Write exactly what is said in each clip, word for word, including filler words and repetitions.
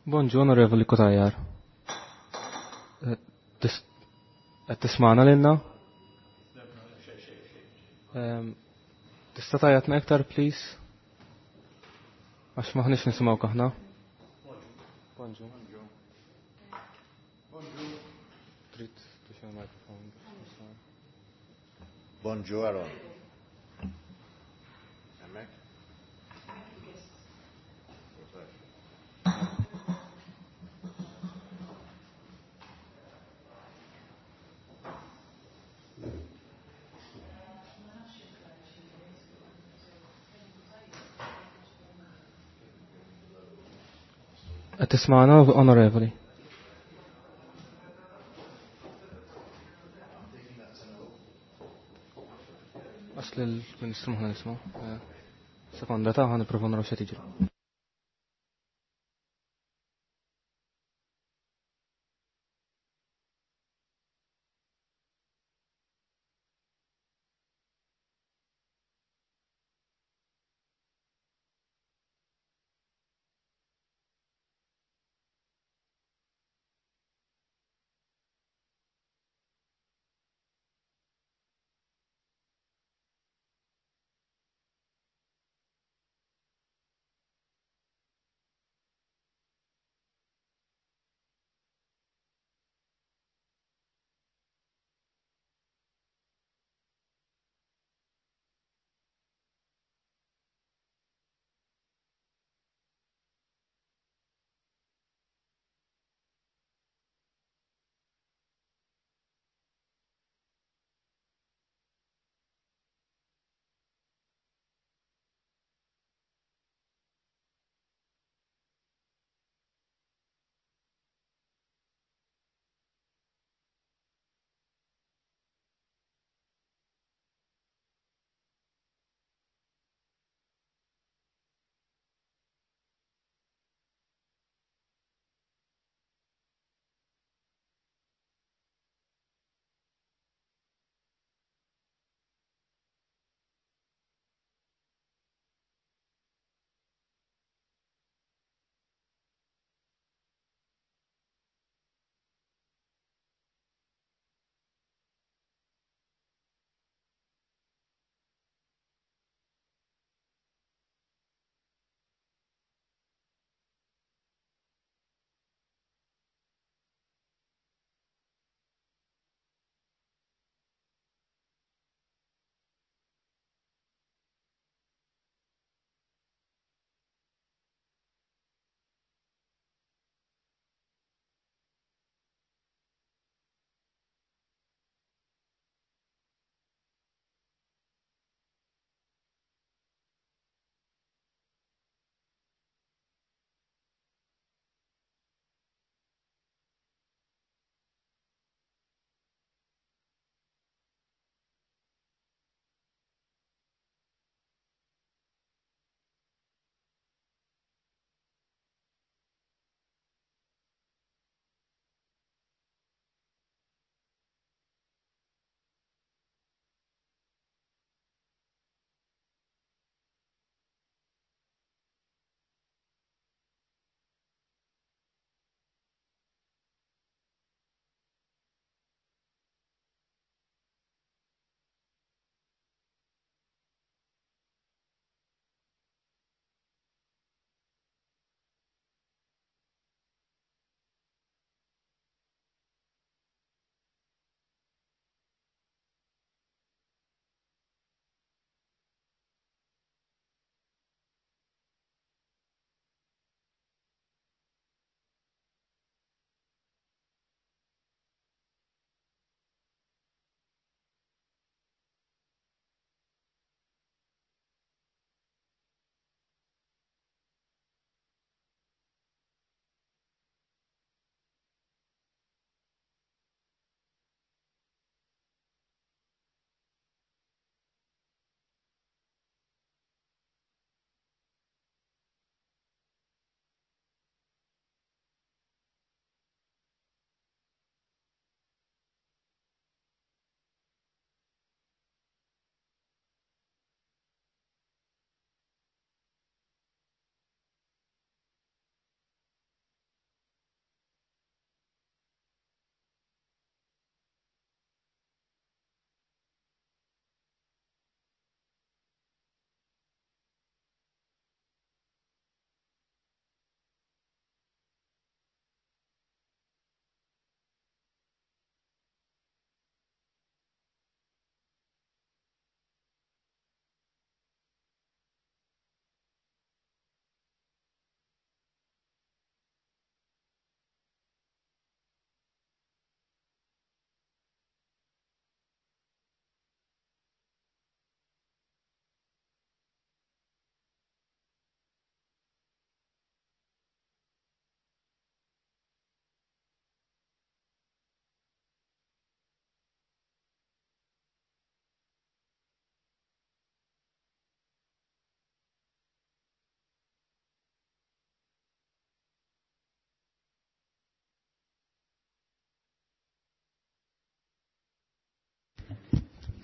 Bonġu, Onorevoli Cutajar. Qed tismagħna lilna? Tista' tgħajjatna iktar, please? Għax m'aħniex nisimgħuk aħna. Bonġu. Trid tuxi l-mikrofon. Bonġu, Aaron. Hemmhekk? Qed tismagħna, Onorevoli? Għax lill-Ministru m'aħna nisimgħu. Sekonda ta' ħa nipprova naraw x'qed jiġri.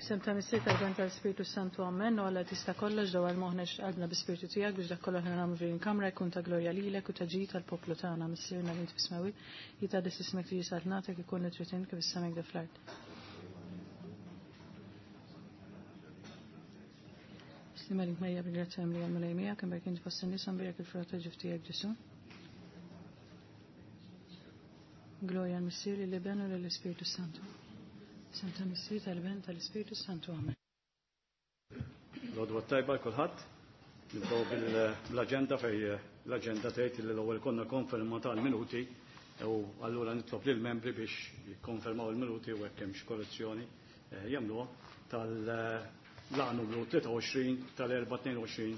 F'isem ta' Missier tal-Ben tal-Spiritu Santu Amen, u Alla tista' kollox dawwal moħħna qalbna bi-Spiritu tiegħek biex dak kollox nagħmlu f'din il-kamra jkun ta' glorja lilek u ta' ġid tal-poplu tagħna. Missierna li int fis-smewwiet, jitqaddes ismek tiġi saltnatek ikun li trid int kif is-sema hekk fl-art. Slima link Marija bil-grazzja mimlija l-Mulej miegħek, imbierka int fost in-nisa mbierek il-frott tal-ġuf tiegħek Ġesu. Glorja l-Missier, lill-Iben u lill-Ispiritu Santu. Santa Missier tal-Ben tal-Ispiritu Santu. Amen. L-għodwa tajba kulħadd. Nibdew bil-aġenda fej l-aġenda tgħid li l-ewwel konna konferma tal-minuti u allura nitlob lill-membri biex jikkonfermaw il-minuti u hekk hemm xi korrezzjoni eh, jagħmluha tal-laqgħa numru tlieta u għoxrin tal-erba' tnejn u għoxrin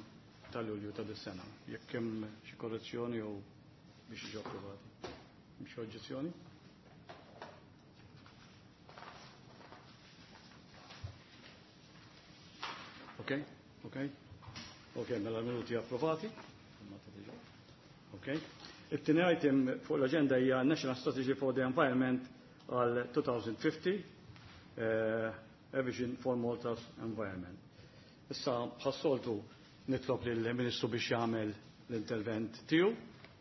tal-Lulju ta' dis-sena. Jekk hemm xi korrezzjoni jew biex jiġu approvati. Hemm xi oġġezzjoni? Ok, ok. Ok, mela l-minuti approvati. Ok. It-tieni item fuq l-agenda hija National Strategy for the Environment għal elfejn u ħamsin, eh, A Vision for Malta's Environment. Issa bħas-soltu nitlob lill-Ministru biex jagħmel l-intervent tiegħu,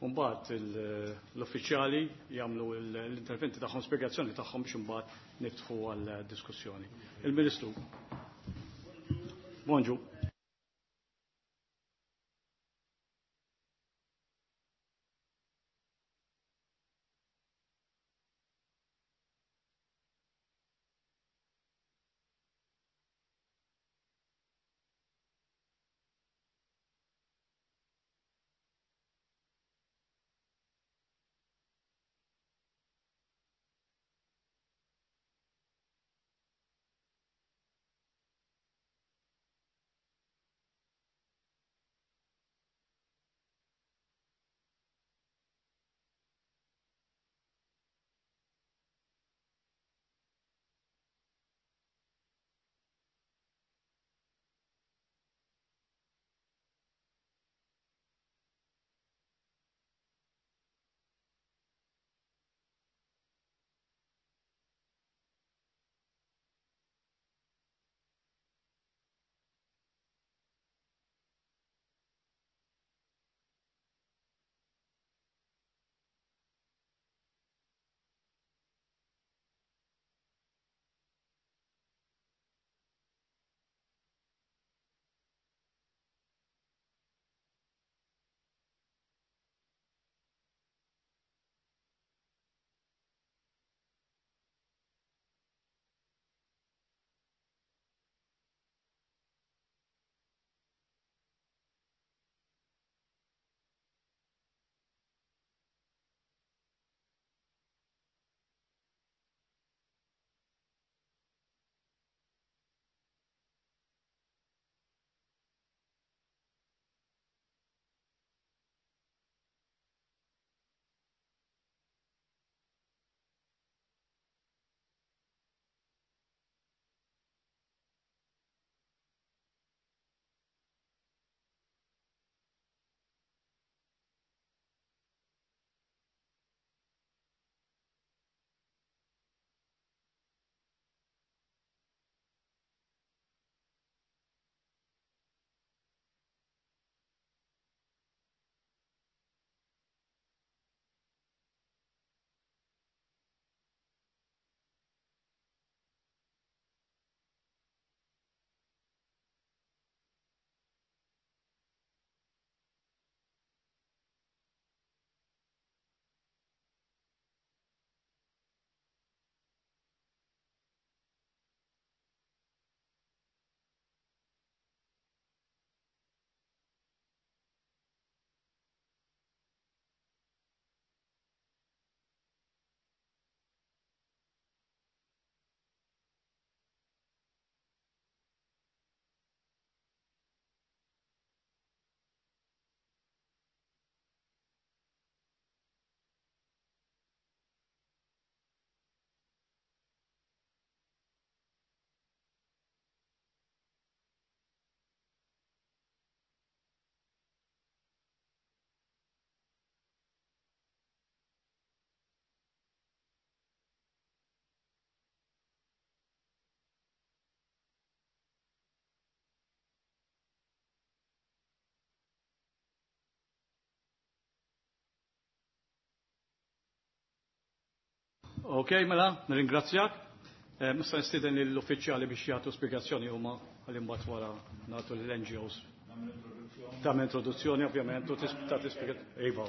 u mbagħad l-uffiċjali jagħmlu l-interventi tagħhom, spjegazzjoni tagħhom biex imbagħad niftħu għal diskussjoni. Il-Ministru. Bonġu. Ok, mela, nirringrazzjak. Nista' nistieden lill-uffiċjali biex jagħtu spjegazzjoni huma għal imbagħad wara nagħtu lill-N G Os. Tagħmel introduzzjoni ovvjament u tagħti spjegazzjoni. Iva.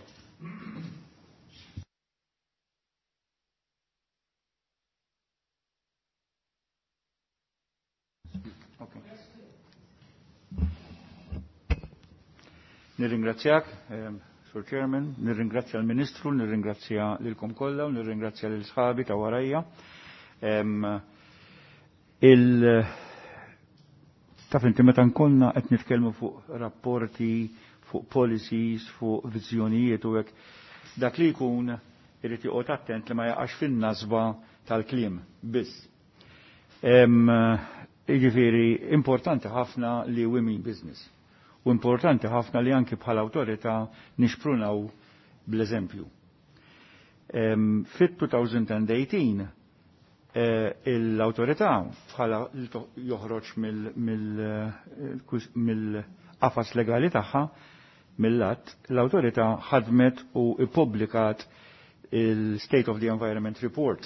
Nirringrazzjak, Sur Chairman, nirringrazzja l-Ministru, nirringrazzja lilkom kollha u nirringrazzja lil sħabi ta' warajja. Il taf inti meta nkollna qed nitkellmu fuq rapporti, fuq policies, fuq viżjonijiet u hekk, dak li jkun irid joqgħod attent li ma jaqax fin-nasba tal-kliem biss. Jiġifieri importanti ħafna li we mean business. U importanti ħafna li anki bħala awtorità nixprunaw bl-eżempju. Fit-twenty eighteen l-awtorità bħala joħroġ mill-qafas legali tagħha mill-att, l-awtorità ħadmet u ippubblikat il-State of the Environment Report.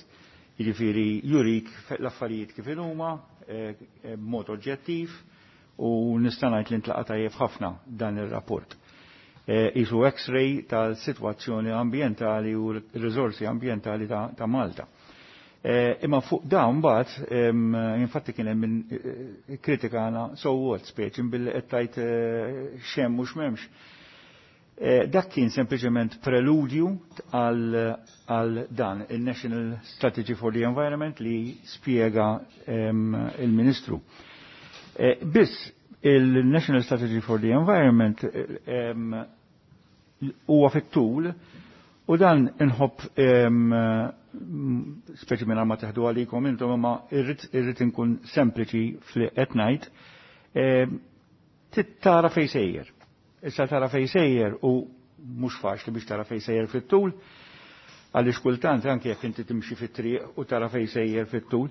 Jiġifieri jurik l-affarijiet kif huma b'mod oġġettiv, u nista' ngħid li ntlaqa' tajjeb ħafna dan ir-rapport. Isu X-ray tal-sitwazzjoni ambjentali u r-riżorsi ambjentali ta', ta Malta. Imma fuq dawn mbagħad infatti kien hemm min kritikana so what speċi billi qed tgħid x'hemm u x'm'hemmx. Dak kien sempliċement preludju għal dan il-National Strategy for the Environment li spjega il-Ministru. Biss il-National Strategy for the Environment huwa fit-tul u dan inħobb speċi minn ma teħdu għalikom intom imma irrid inkun sempliċi fli qed ngħid, tara fejn sejjer. Issa tara fejn sejjer u mhux faċli biex tara fejn sejjer fit-tul, għaliex kultant anke jekk inti timxi fit-triq u tara fejn sejjer fit-tul,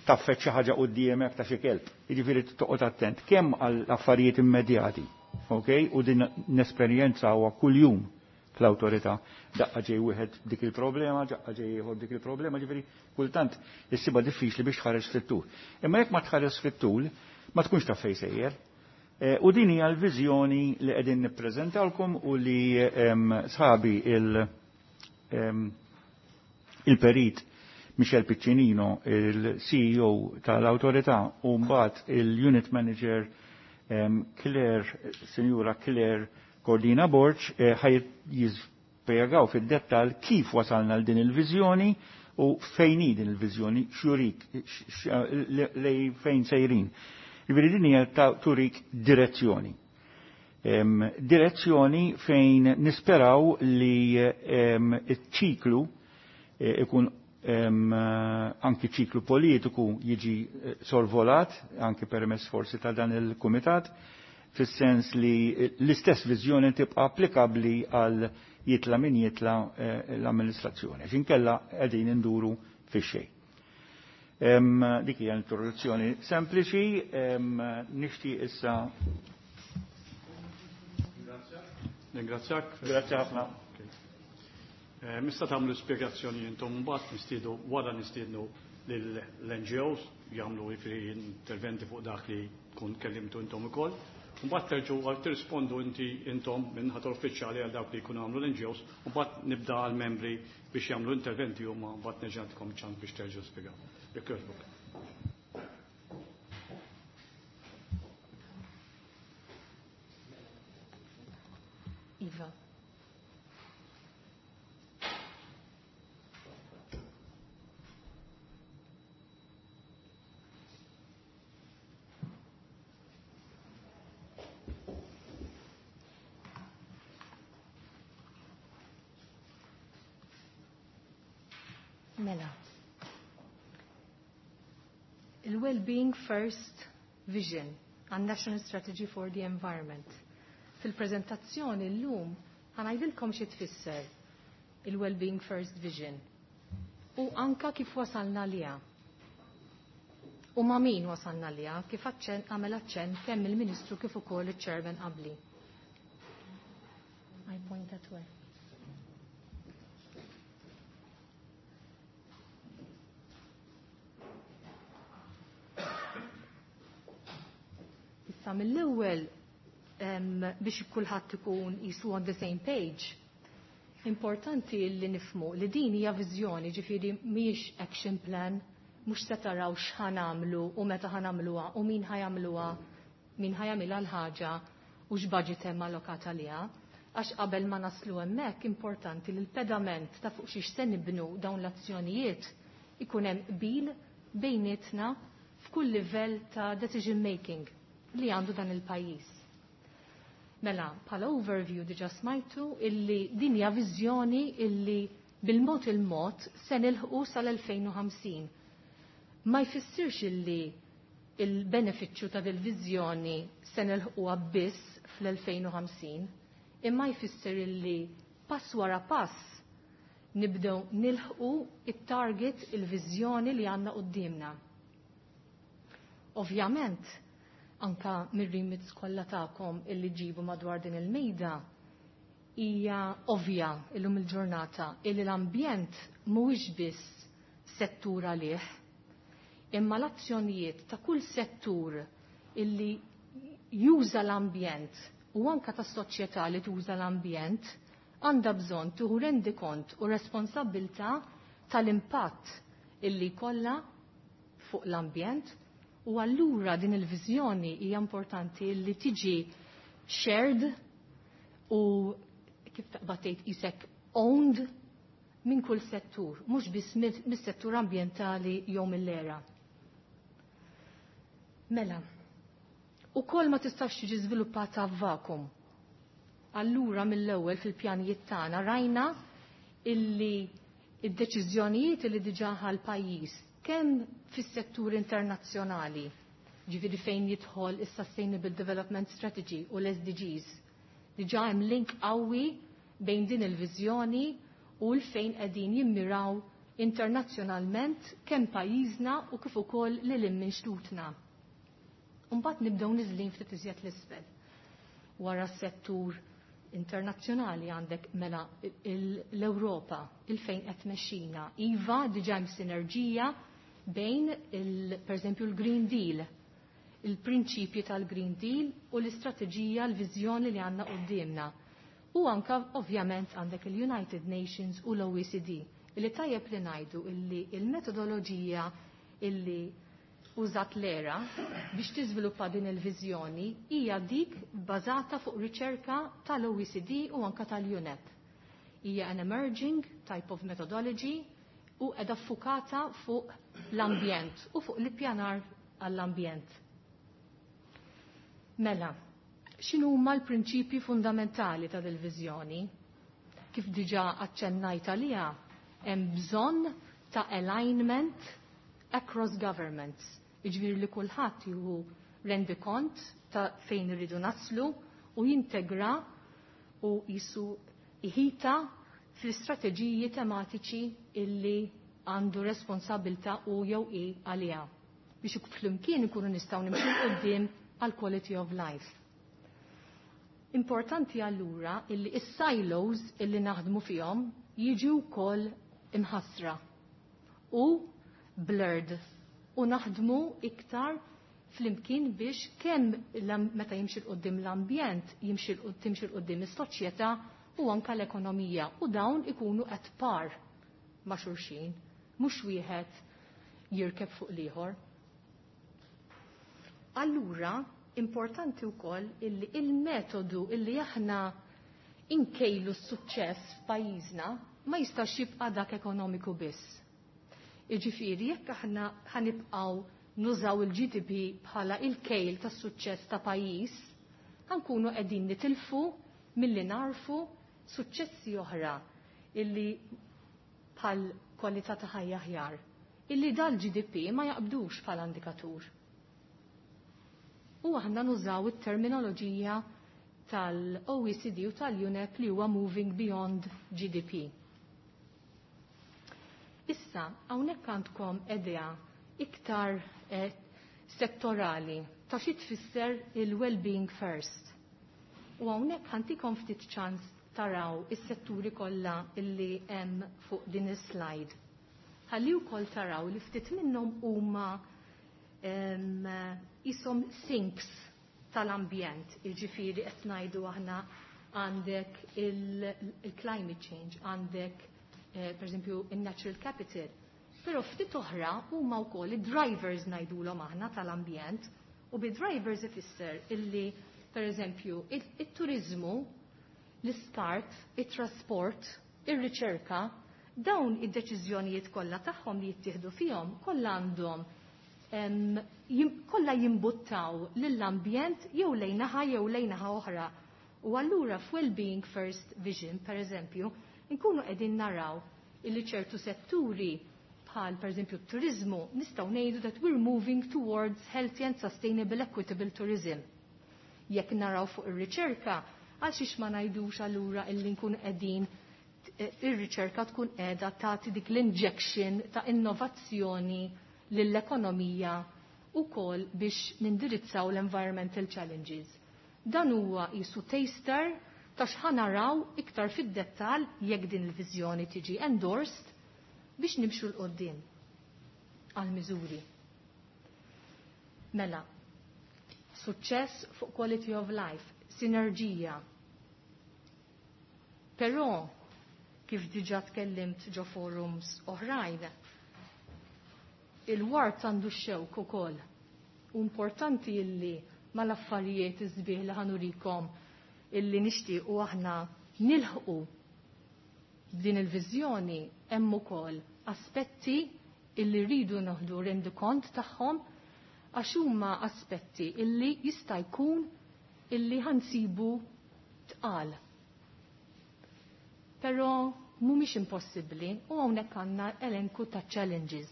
taffet xi ħaġa quddiemek ta' xi kelb. Jiġifieri toqgħod attent kemm għall affarijiet immedjati, ok? U din nesperjenza huwa kuljum fl-awtorità. Daqqa ġej wieħed dik il-problema, daqqa ġej ieħor dik il-problema, ġifieri kultant issibha diffiċli biex tħares fit-tul. Imma jekk ma tħares fit-tul, ma tkunx taf fejn sejjer. U din hija l-viżjoni li qegħdin nippreżentawlkom u li sħabi il-perit Michel Piccinino, il-C E O tal-awtorità, u mbagħad il-Unit Manager Claire, Sinjura Claire Cordina Borg, ħaj jispjegaw fid-dettall kif wasalna għal din il-viżjoni u fejn hi din il-viżjoni, x'jurik, lej fejn sejrin. Jiġifieri din hija ta' turik direzzjoni. Direzzjoni fejn nisperaw li iċ-ċiklu ikun anki ċiklu politiku jiġi sorvolat, anki permess forsi ta' dan il-kumitat, fis-sens li l-istess viżjoni tibqa' applikabbli għal jitla min jitla l-amministrazzjoni. X'inkella qegħdin induru fix-xejn. Dik hija introduzzjoni sempliċi, nixtieq issa. Ringrazzjak. Grazie ħafna. Mista tagħmlu spjegazzjoni intom mbagħad nistiedu wara nistiednu lill-N G Os jagħmlu jiġifieri interventi fuq dak li tkun kellimtu intom ukoll. Mbagħad terġgħu għal tirrispondu inti intom minn ħadd uffiċjali għal dawk li jkunu għamlu l-N G Os, u mbagħad nibda għall membri biex jagħmlu interventi huma mbagħad nerġa' nagħtikom ċans biex terġgħu spjegaw. Jekk jogħġbok. Iva. Mela. Il-Well-Being First Vision and National Strategy for the Environment. Fil-prezentazzjoni l-lum ħanajdilkom xi tfisser il-Well-Being First Vision u anka kif wasalna liha. U ma' min wasalna liha kif aċċen għamel aċċen kemm il-Ministru kif ukoll iċ-Chairman qabli. I point at where. Issa mill-ewwel biex kulħadd ikun jisu on the same page, importanti li nifmu li din hija viżjoni, ġifieri mhijiex action plan, mhux se taraw x'ħanamlu u meta ħanamluha u min ħajamluha, min ħajamilha l-ħaġa u x'budget hemm allokat għaliha. Għax qabel ma naslu hemmhekk importanti li l-pedament ta' fuq xiex se nibnu dawn l-azzjonijiet ikun hemm qbil bejnietna f'kull livell ta' decision making li għandu dan il-pajjiż. Mela, bħala overview diġa smajtu illi din hija viżjoni illi bil-mod il-mod se nilħqu sal-elfejn u ħamsin. Ma jfissirx illi il-benefiċċju ta' dil-viżjoni se nilħquha biss fl-elfejn u ħamsin, imma jfisser illi pass wara pass nibdew nilħqu it-target, il-viżjoni li għandna quddiemna. Ovvjament, anka mir-remits kollha tagħkom illi ġibu madwar din il-mejda, hija ovvja illum il-ġurnata illi l-ambjent mhuwiex biss settur għalih, imma l-azzjonijiet ta' kull settur illi juża l-ambjent u anka tas soċjetà li tuża l-ambjent għandha bżonn tieħu rendikont u responsabbiltà tal-impatt illi jkollha fuq l-ambjent. U allura din il-viżjoni hija importanti li tiġi shared u kif taqbad tgħid isek owned minn kull settur, mhux biss mis-settur ambjentali jew mill-era. Mela, ukoll ma tistax tiġi żviluppata f'vakum. Allura mill-ewwel fil-pjanijiet tagħna rajna illi id-deċiżjonijiet illi diġà ħa l-pajjiż kemm fis-settur internazzjonali, ġifieri fejn jidħol is-Sustainable Development Strategy u l-S D Gs, diġà hemm link qawwi bejn din il-viżjoni u l-fejn qegħdin jimmiraw internazzjonalment kemm pajjiżna u kif ukoll lil hinn minn xtutna. Imbagħad nibdew niżlin ftit iżjed l-isfel. Wara s-settur internazzjonali għandek mela l-Ewropa, il-fejn qed tmexxina. Iva, diġà hemm sinerġija bejn il, per eżempju l-Green Deal, il-prinċipji tal-Green Deal u l-istrateġija, l-viżjoni li għandna quddiemna. U anka ovvjament għandek il-United Nations u l-O E C D, illi tajjeb li ngħidu illi il-metodoloġija illi użat l-era biex tiżviluppa din il-viżjoni hija dik bbażata fuq riċerka tal-O E C D u anka tal-U N E P. Hija an emerging type of methodology u qiegħda ffukata fuq l-ambjent u fuq l-ippjanar għall-ambjent. Mela, x'inhu huma l-prinċipji fundamentali ta' dil-viżjoni? Kif diġà aċċennajt għaliha, hemm bżonn ta' alignment across governments. Jiġifieri li kulħadd jieħu rendikont ta' fejn irridu naslu u jintegra u jisu iħita fl-istrateġiji tematiċi illi għandu responsabilta u jew i għaliha biex flimkien ikunu nistgħu nimxu 'l quddiem għal quality of life. Importanti allura illi is-silos illi naħdmu fihom jiġu wkoll imħassra u blurred u naħdmu iktar flimkien biex kemm l-am-, meta jimxi 'l quddiem l-ambjent, jimxi 'l qudd-, timxi 'l quddiem is-soċjetà u anka l-ekonomija, u dawn ikunu at par ma' xulxin, mhux wieħed jirkeb fuq l-ieħor. Allura, importanti wkoll illi il-metodu illi aħna inkejlu s-suċċess f'pajjiżna ma jistax jibqa' dak ekonomiku biss. Jiġifieri jekk aħna ħanibqgħu nużaw il-G D P bħala il-kejl tas-suċċess ta' pajjiż, ħankunu qegħdin nitilfu milli narfu suċċessi oħra illi bħal kwalità ta' ħajja aħjar, illi dal-G D P ma jaqbdux bħala indikatur. U aħna nużaw it-terminoloġija tal-O E C D u tal-U N E P li huwa Moving Beyond G D P. Issa, hawnhekk għandkom idea iktar, eh, settorali ta' xi tfisser il-well-being first. U hawnhekk ħantikom ftit ċans taraw is-setturi kollha illi hemm fuq din is-slide. Ħalli wkoll taraw li ftit minnhom huma, em, isom sinks tal-ambjent, jiġifieri qed ngħidu aħna għandek il-climate change, għandek eh, per eżempju il-natural capital. Però ftit oħra huma wkoll id-drivers ngħidulhom aħna tal-ambjent u bi drivers ifisser illi per eżempju it-turizmu, l-iskart, it-trasport, ir-riċerka, dawn id-deċiżjonijiet kollha tagħhom li jittieħdu fihom kollha għandhom kollha jimbuttaw lill-ambjent jew lejn naħa jew lejn naħa oħra. U allura f'Wellbeing First Vision, per eżempju, nkunu qegħdin naraw illi ċertu setturi bħal per eżempju t-turizmu nistgħu ngħidu that we're moving towards healthy and sustainable equitable tourism. Jekk naraw fuq ir-riċerka, għal xiex ma ngħidux allura illi nkunu qegħdin ir-riċerka tkun qiegħda tagħti dik l-injection ta' innovazzjoni lill-ekonomija ukoll biex nindirizzaw l-environmental challenges. Dan huwa jisu taster ta' x'ħanaraw iktar fid-dettall jekk din il-viżjoni tiġi endorsed biex nimxu 'l quddiem għal miżuri. Mela, suċċess fuq quality of life, sinerġija. Però, kif diġa tkellimt ġo forums oħrajn, il-wart għandu xewk ukoll. U importanti illi mal-affarijiet iż-sbieħ li ħanurikom illi nixtiequ aħna nilħqu b'din il-viżjoni hemm ukoll aspetti illi rridu noħdu rendikont tagħhom għax huma aspetti illi jista' jkun illi ħansibu tqal. Però mhumiex impossibbli u hawnhekk għandna elenku ta' challenges.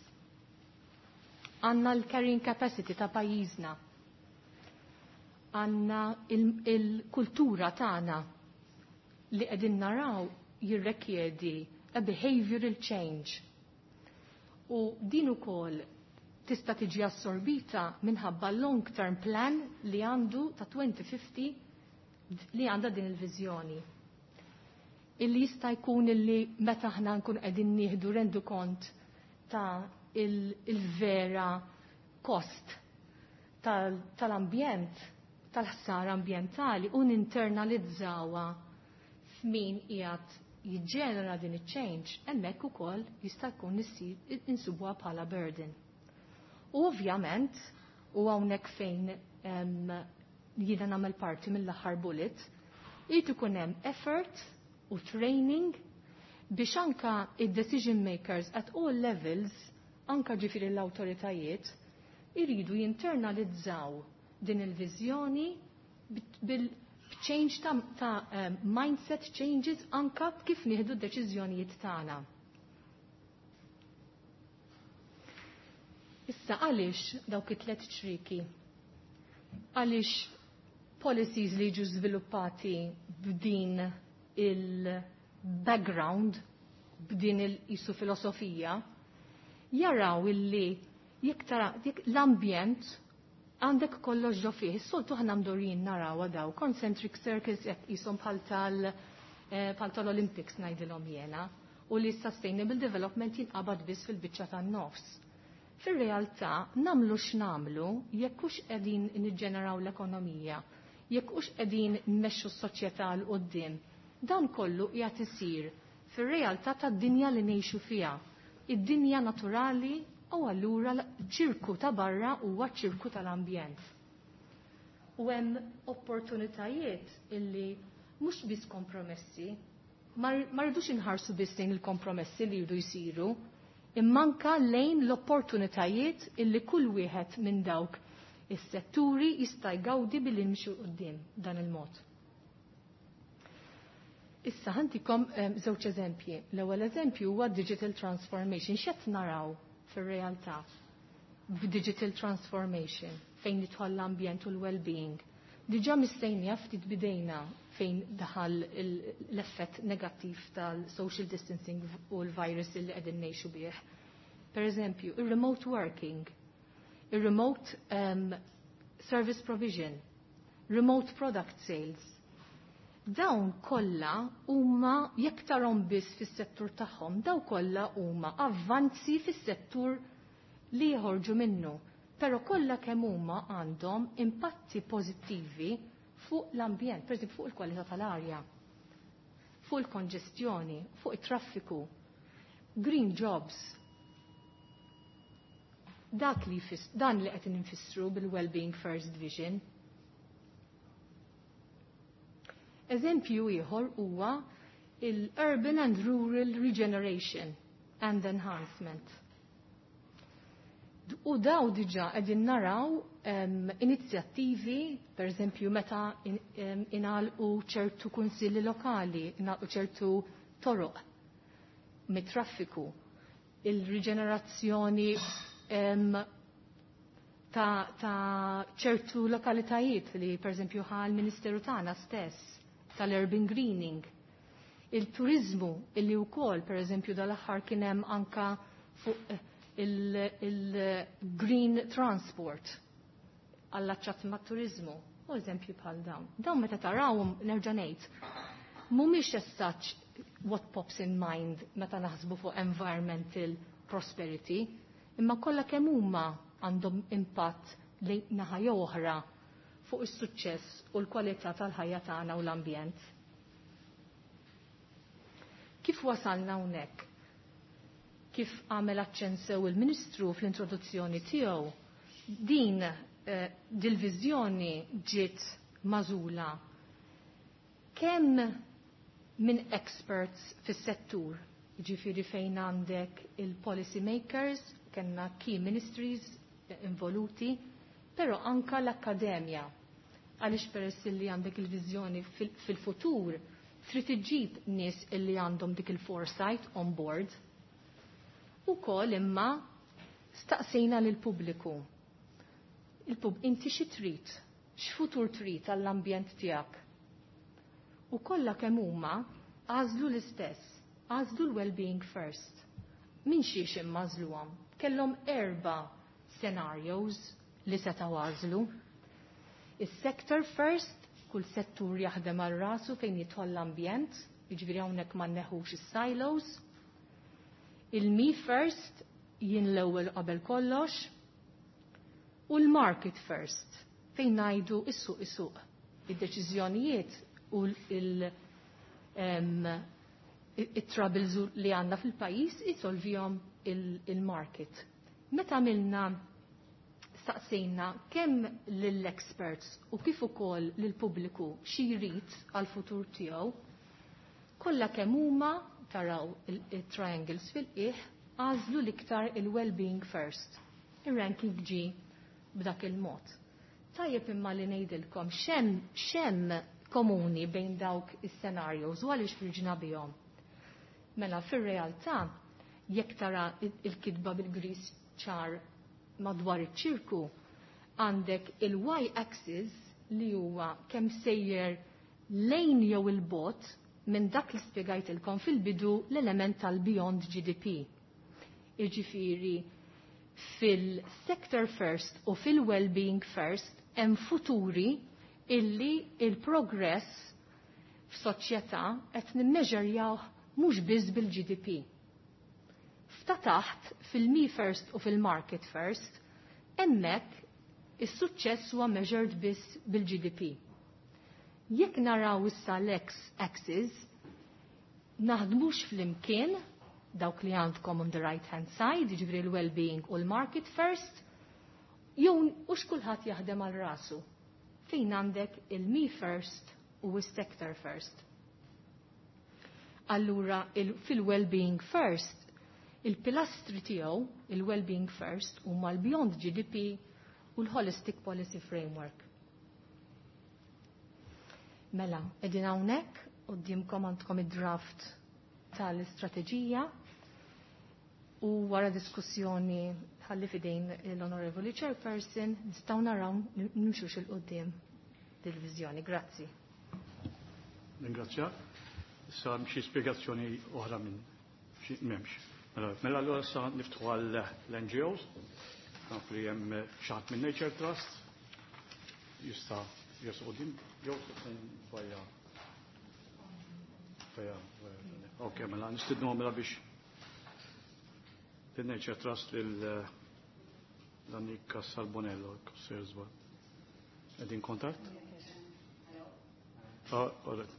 Għandna l-carrying capacity ta' pajjiżna. Għandna il-kultura tagħna li qegħdin naraw jirrekjedi a behavioral change. U din ukoll tista' tiġi assorbita minħabba long term plan li għandu ta' twenty fifty li għandha din il-viżjoni. Illi jista' jkun illi meta aħna nkun qegħdin nieħdu rendu kont ta' il-vera cost tal-ambjent, tal-ħsara ambjentali u ninternalizzawha f'min qiegħed jiġġenera din iċ-change, hemmhekk ukoll jista' jkun insibuha bħala burden. U ovvjament, u hawnhekk fejn jiena nagħmel parti mill-aħħar bullet, irid ikun hemm effort u training biex anka id-decision makers at all levels, anka ġifieri l-awtoritajiet, iridu jinternalizzaw din il-viżjoni bil change ta', ta um, mindset changes anka kif nieħdu d-deċiżjonijiet tagħna. Issa għaliex dawk it-tlet ċriki? Għaliex policies li jiġu żviluppati b'din il-background, b'din il-isu filosofija, jaraw illi jekk tara l-ambjent għandek kollox ġo fih. Is-soltu ħna mdorin naraw daw concentric circles jekk qishom bħal tal eh, bħal tal-Olympics ngħidilhom jiena u li sustainable development jinqabad biss fil-biċċa tan-nofs. Fir-realtà namlu x'namlu jekk hux qegħdin niġġeneraw l-ekonomija, jekk hux qegħdin nmexxu s-soċjetà 'l quddiem, dan kollu qiegħed isir fir-realtà tad-dinja li ngħixu fiha. Id-dinja naturali u allura ċirku ta' barra huwa ċirku tal-ambjent. U hemm opportunitajiet illi mhux biss kompromessi, ma rridux inħarsu biss lejn il-kompromessi li jridu jsiru, immanka lejn l-opportunitajiet illi kull wieħed minn dawk is-setturi jista' jgawdi billi nimxu quddiem dan il-mod. Issa ħantikom żewġ eżempji. L-ewwel eżempju huwa digital transformation. X'qed naraw fir-realtà b'digital transformation fejn jidħol l-ambjent u l-well-being? Diġà mistejnija ftit bidejna fejn daħal l-effett negattiv tal-social distancing u l-virus li qegħdin ngħixu bih. Per eżempju, il-remote working, il-remote um, service provision, remote product sales. Dawn kollha huma jekk tarhom biss fis-settur tagħhom, daw kollha huma avvanzi fis-settur li jħorġu minnu. Però kollha kemm huma għandhom impatti pożittivi fuq l-ambjent, per fuq il-kwalità tal-arja, fuq il-konġestjoni, fuq it-traffiku, green jobs. Dak li dan li qed infissru bil-well-being first vision. Eżempju ieħor huwa il-urban and rural regeneration and enhancement. U daw diġa qegħdin naraw um, inizjattivi, per eżempju, meta in, um, inalqu ċertu kunsilli lokali, inalqu ċertu toroq mit-traffiku, il-riġenerazzjoni um, ta', ta ċertu lokalitajiet li per eżempju ħa l-Ministeru tagħna stess tal-urban greening. Il-turizmu illi wkoll per eżempju dal-aħħar kien hemm anka fuq il-green transport allaċċat ma' turizmu, u eżempju bħal dawn. Dawn meta tarawhom nerġa' ngħid, mhumiex as such what pops in mind meta naħsbu fuq environmental prosperity, imma kollha kemm huma għandhom impatt li naħa jew oħra fuq is-suċċess u l-kwalità tal-ħajja tagħna u l-ambjent. Kif wasalna hawnhekk? Kif għamel aċċenn sew il-Ministru fl-introduzzjoni tiegħu, din eh, dil-viżjoni ġiet magħżula kemm minn experts fis-settur, ġifieri fejn għandek il-policy makers, kellna key ministries involuti, però anka l-akkademja. Għaliex peress li għandek il-viżjoni fil-futur, trid iġġib nies illi għandhom dik il-foresight on board. Ukoll imma staqsejna lil pubbliku. Il-pub inti xi trid, x'futur trid għall-ambjent tiegħek. U kollha kemm huma għażlu l-istess, għażlu l-well-being first. Min xiex imma għażluhom? Kellhom erba' scenarios li setgħu għażlu. Is-sector first, kull settur jaħdem għal rasu fejn jidħol l-ambjent, jiġifieri hawnhekk ma nneħħux is-silos. Il-me first, jien l-ewwel qabel kollox, u l-market first, fejn ngħidu is-suq is-suq. Id-deċiżjonijiet u il- it-troubles li għandna fil-pajjiż isolvihom il-market. Meta għamilna staqsejna kemm lill-experts u kif ukoll lill-pubbliku xi jrid għall-futur tiegħu, kollha kemm huma taraw il-triangles fil-qiegħ għażlu l-iktar il-well-being first. Ir-ranking ġie b'dak il-mod. Tajjeb imma li ngħidilkom x'hemm x'hemm komuni bejn dawk is-scenarios u għaliex ħriġna bihom. Mela fir-realtà jekk tara il-kitba bil-gris ċar madwar iċ-ċirku, għandek il-y-axis li huwa kemm sejjer lejn jew il-bogħod minn dak li spjegajtilkom fil-bidu l-element tal-beyond G D P. Iġifieri fil-sector first u fil-well-being first hemm futuri illi il-progress f'soċjetà qed nimmeġerjaw mhux biss bil-G D P. F'ta' taħt fil-me first u fil-market first, hemmhekk is-suċċess huwa measured biss bil-G D P. Jekk naraw issa l-X axis, naħdmux flimkien dawk li għandkom on the right hand side, jiġifieri l-well-being u l-market first, jew ux kulħadd jaħdem għal rasu. Fejn għandek il-me first u s-sector first. Allura fil-well-being first, il-pilastri tiegħu, il-well-being first, huma l-beyond G D P u l-holistic policy framework. Mela, qegħdin hawnhekk quddiemkom għandkom id-draft tal-istrateġija u wara diskussjoni ħalli fidejn l-Onorevoli Chairperson nistgħu naraw nimxux 'il quddiem dil-viżjoni. Grazzi. Ringrazzja. Issa xi spjegazzjoni oħra minn xi m'hemmx. Mela, mela allura issa niftħu għall N G Os. Naf li hemm xi ħadd minn Nature Trust jista' jersaq quddiem jew vajja. Vajja. Ok, mela nistidnu mela biex Nature Trust lil Danika Sarbonello, sejjer żball. Qegħdin kontatt? Oh, all right.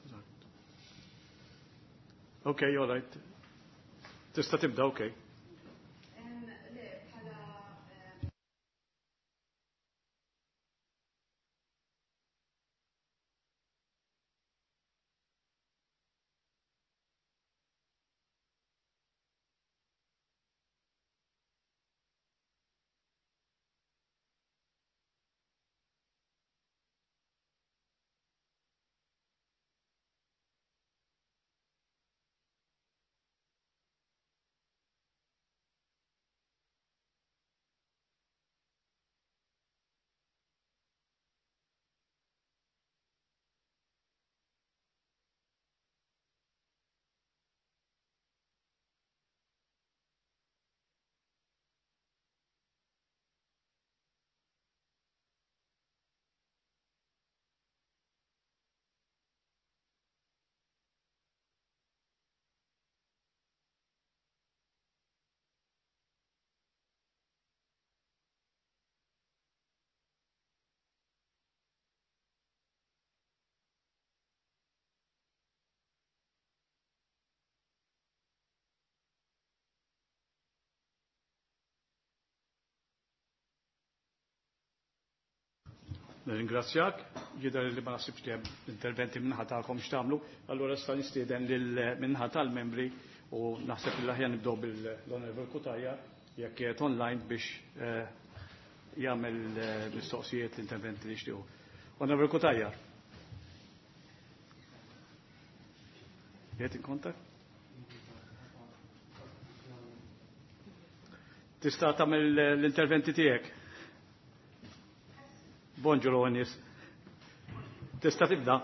Okay, all right. Tista' tibda, okay. Nirringrazzjak, jidher li ma nasibx li hemm interventi minnaħa tagħkom x'tagħmlu, allura issa nistieden lil minnaħa tal-membri u naħseb li aħjar nibdew bil-Onorevole Cutajar jekk qiegħed online biex eh, jagħmel eh, mistoqsijiet l-interventi li jixtiequ. Onorevole Cutajar. Qiegħed in contact? Tista' tagħmel l-interventi tiegħek? Bonġu l-għonis. Tista' tibda?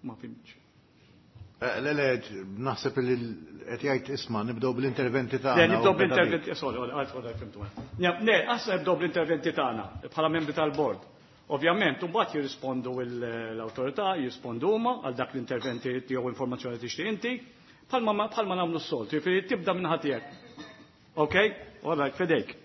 Ma fimx. Eh, le, le, naħseb li qed jgħid isma' nibdew bl-interventi tagħna. Le, nibdew bl-interventi, sorry, għal fimtu. Le, aħseb nibdew bl-interventi tagħna bħala membri tal-bord. Ovvjament, mbagħad jirrispondu l-awtorità, jirrispondu huma għal dak l-interventi jew informazzjoni tixtieq inti, bħalma bħalma nagħmlu s-soltu, jiġifieri tibda minn ħadd tiegħek. Okay? All right, fidejk.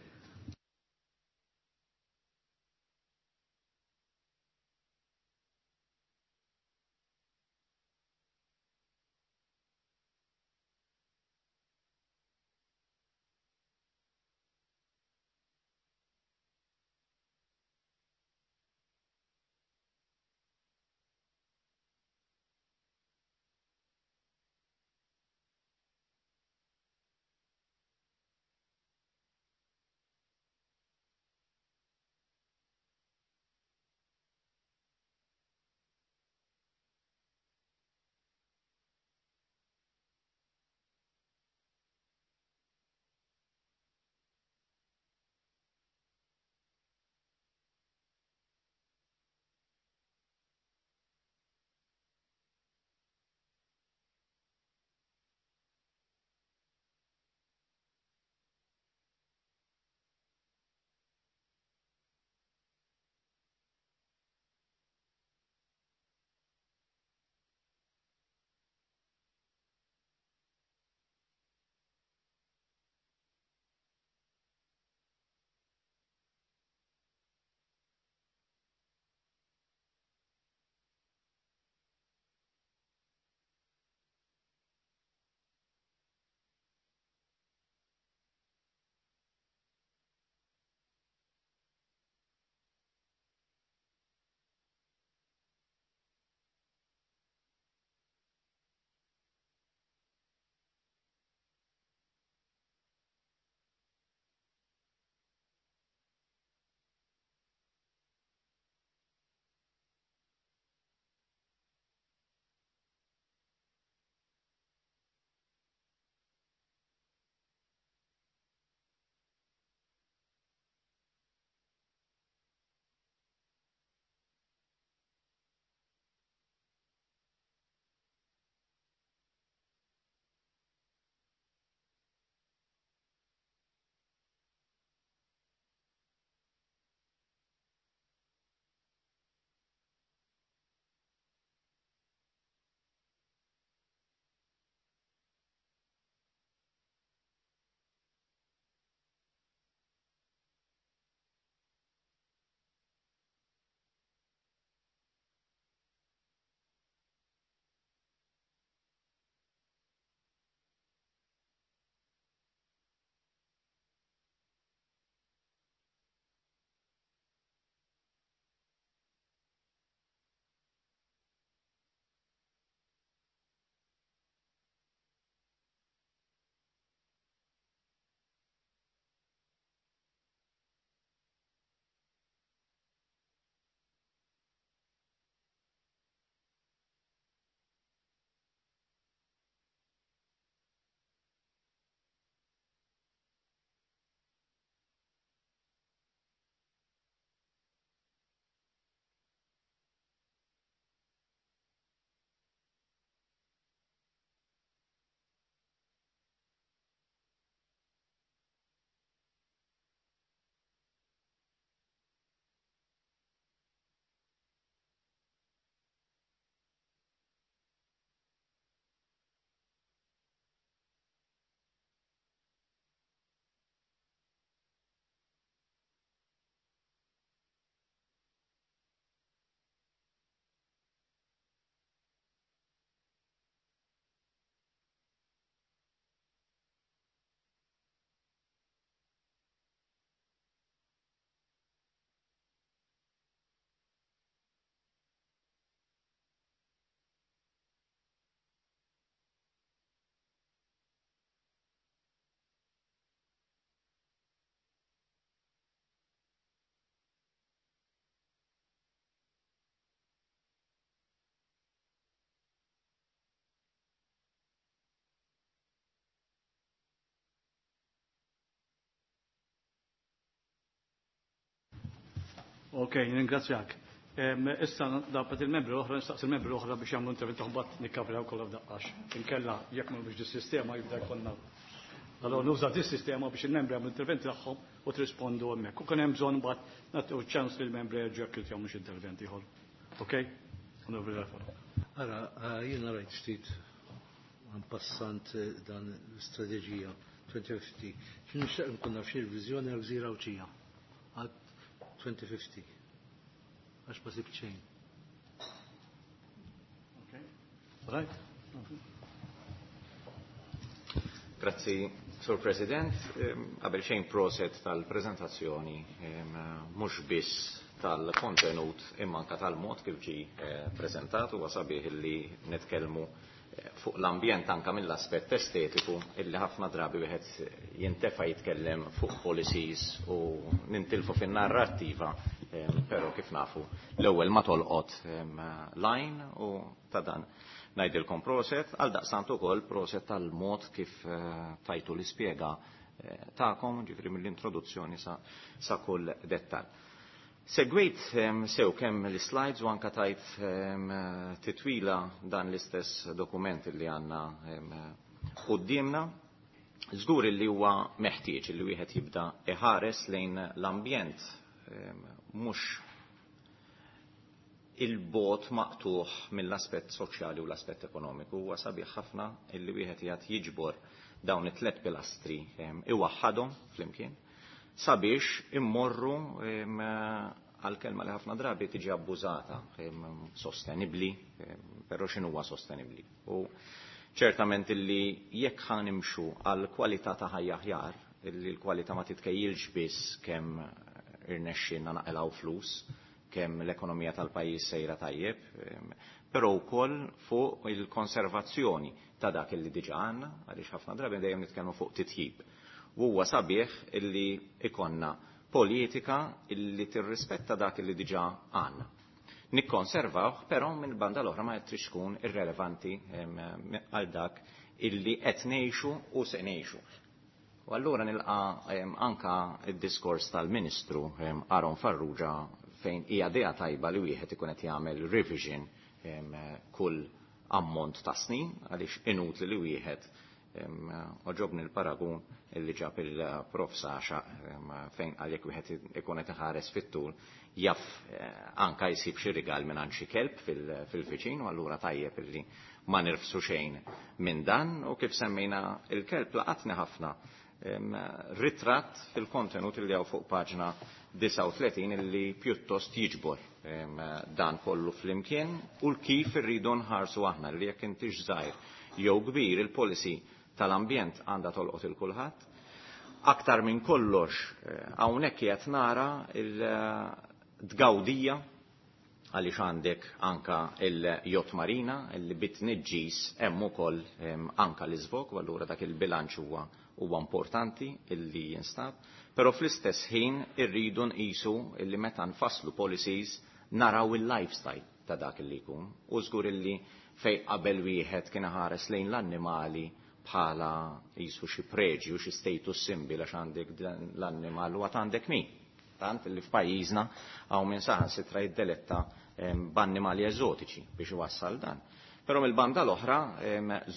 Ok, ringrazzjak. Issa dapat il-membri l-oħra, nistaqsi il-membri l-oħra biex jagħmlu intervent mbagħad nikkavraw kollha f'daqqax. Inkella jekk ma biex dis-sistema jibda jkollna. Allora nuża dis-sistema biex il-membri jagħmlu interventi tagħhom u trispondu hemmhekk. U kien hemm bżonn mbagħad nagħtu ċans lill membri jerġgħu jekk jagħmlu xi intervent ieħor. Ok? Onorevoli Garofalo. Ara, jiena rajt ftit passant dan l-istrateġija twenty fifty. X'nixtieq nkun naf xi viżjoni għal gżira Għawdxija għal twenty fifty. Għax ma sibt xejn. Okay. Right. Grazzi, Sur President. Qabel xejn, proset tal-prezentazzjoni, mhux biss tal-kontenut imma anka tal-mod kif ġi eh, prezentat. Huwa sabiħ li nitkellmu eh, fuq l-ambjent anka mill-aspett estetiku, illi ħafna drabi wieħed jintefa' jitkellem fuq policies u nintilfu fin-narrattiva, però kif nafu l-ewwel ma tolqot line u ta' dan ngħidilkom proset. Għal daqstant ukoll proset tal-mod kif eh, tajtu l-ispjega eh, tagħkom, ġifieri mill-introduzzjoni sa, sa kull dettal. Segwejt sew kemm l-slides u anka tajt titwila dan l-istess dokument li għandna qudiemna. Żgur li huwa meħtieġ li wieħed jibda iħares lejn l-ambjent mhux il-bot maqtuħ mill-aspett soċjali u l-aspett ekonomiku. Huwa sabiħ ħafna illi wieħed jgħid jiġbor dawn it-tlet pilastri, iwaħħadhom flimkien sabiex immorru għal kelma li ħafna drabi tiġi abbużata, sostenibli, però x'inhu huwa sostenibli? U ċertament illi jekk ħa nimxu għal kwalità ta' ħajja aħjar, illi l-kwalità ma titkejjilx biss kemm irnexxinna naqilgħu flus, kemm l-ekonomija tal-pajjiż sejra tajjeb, però wkoll fuq il-konservazzjoni ta' dak illi diġà għandna, għaliex ħafna drabi dejjem nitkellmu fuq titjib. U huwa sabiħ illi ikonna politika illi tirrispetta dak illi diġà għandna. Nikkonservawh, però minn banda l-oħra ma trix tkun irrelevanti għal dak illi qed ngħixu u se ngħixu. U allura nilqa anka id-diskors tal-Ministru Aaron Farrugia, fejn hija idea tajba li wieħed ikun qed jagħmel revision kull ammont ta' snin, għaliex inutli li wieħed, għoġobni l-paragun illi ġab il-prof Saxa, fejn għalhekk wieħed ikun qed iħares fit-tul jaf eh, anka jsib xi rigal minn xi kelb fil-viċin, u allura tajjeb illi ma nirfsu xejn minn dan. U kif semmejna il-kelb, laqatni ħafna ritratt fil-kontenut illi hawn fuq paġna disgħa u tletin, illi pjuttost jiġbor dan kollu flimkien u l-kif irridu nħarsu aħna li jekk intix żgħir jew kbir, il-policy tal-ambjent għandha tolqot il-kulħadd. Aktar minn kollox, eh, hawnhekk qed nara il-tgawdija, għaliex għandek anka il-yacht marina illi bit-tniġġis hemm ukoll anka l-iżvog, u allura dak il-bilanċ huwa huwa importanti illi jinstab, però fl-istess ħin irridu nqisu illi meta nfasslu policies naraw il-lifestyle ta' dak illi jkun. U żgur illi fej qabel wieħed kien ħares lejn l-annimali bħala jisu xi preġju, xi status symbol, għax għandek l-annimal u għat għandek min. Tant li f'pajjiżna hawn minn saħansitra jiddeletta b'annimali eżotiċi biex iwassal dan. Però mill-banda l-oħra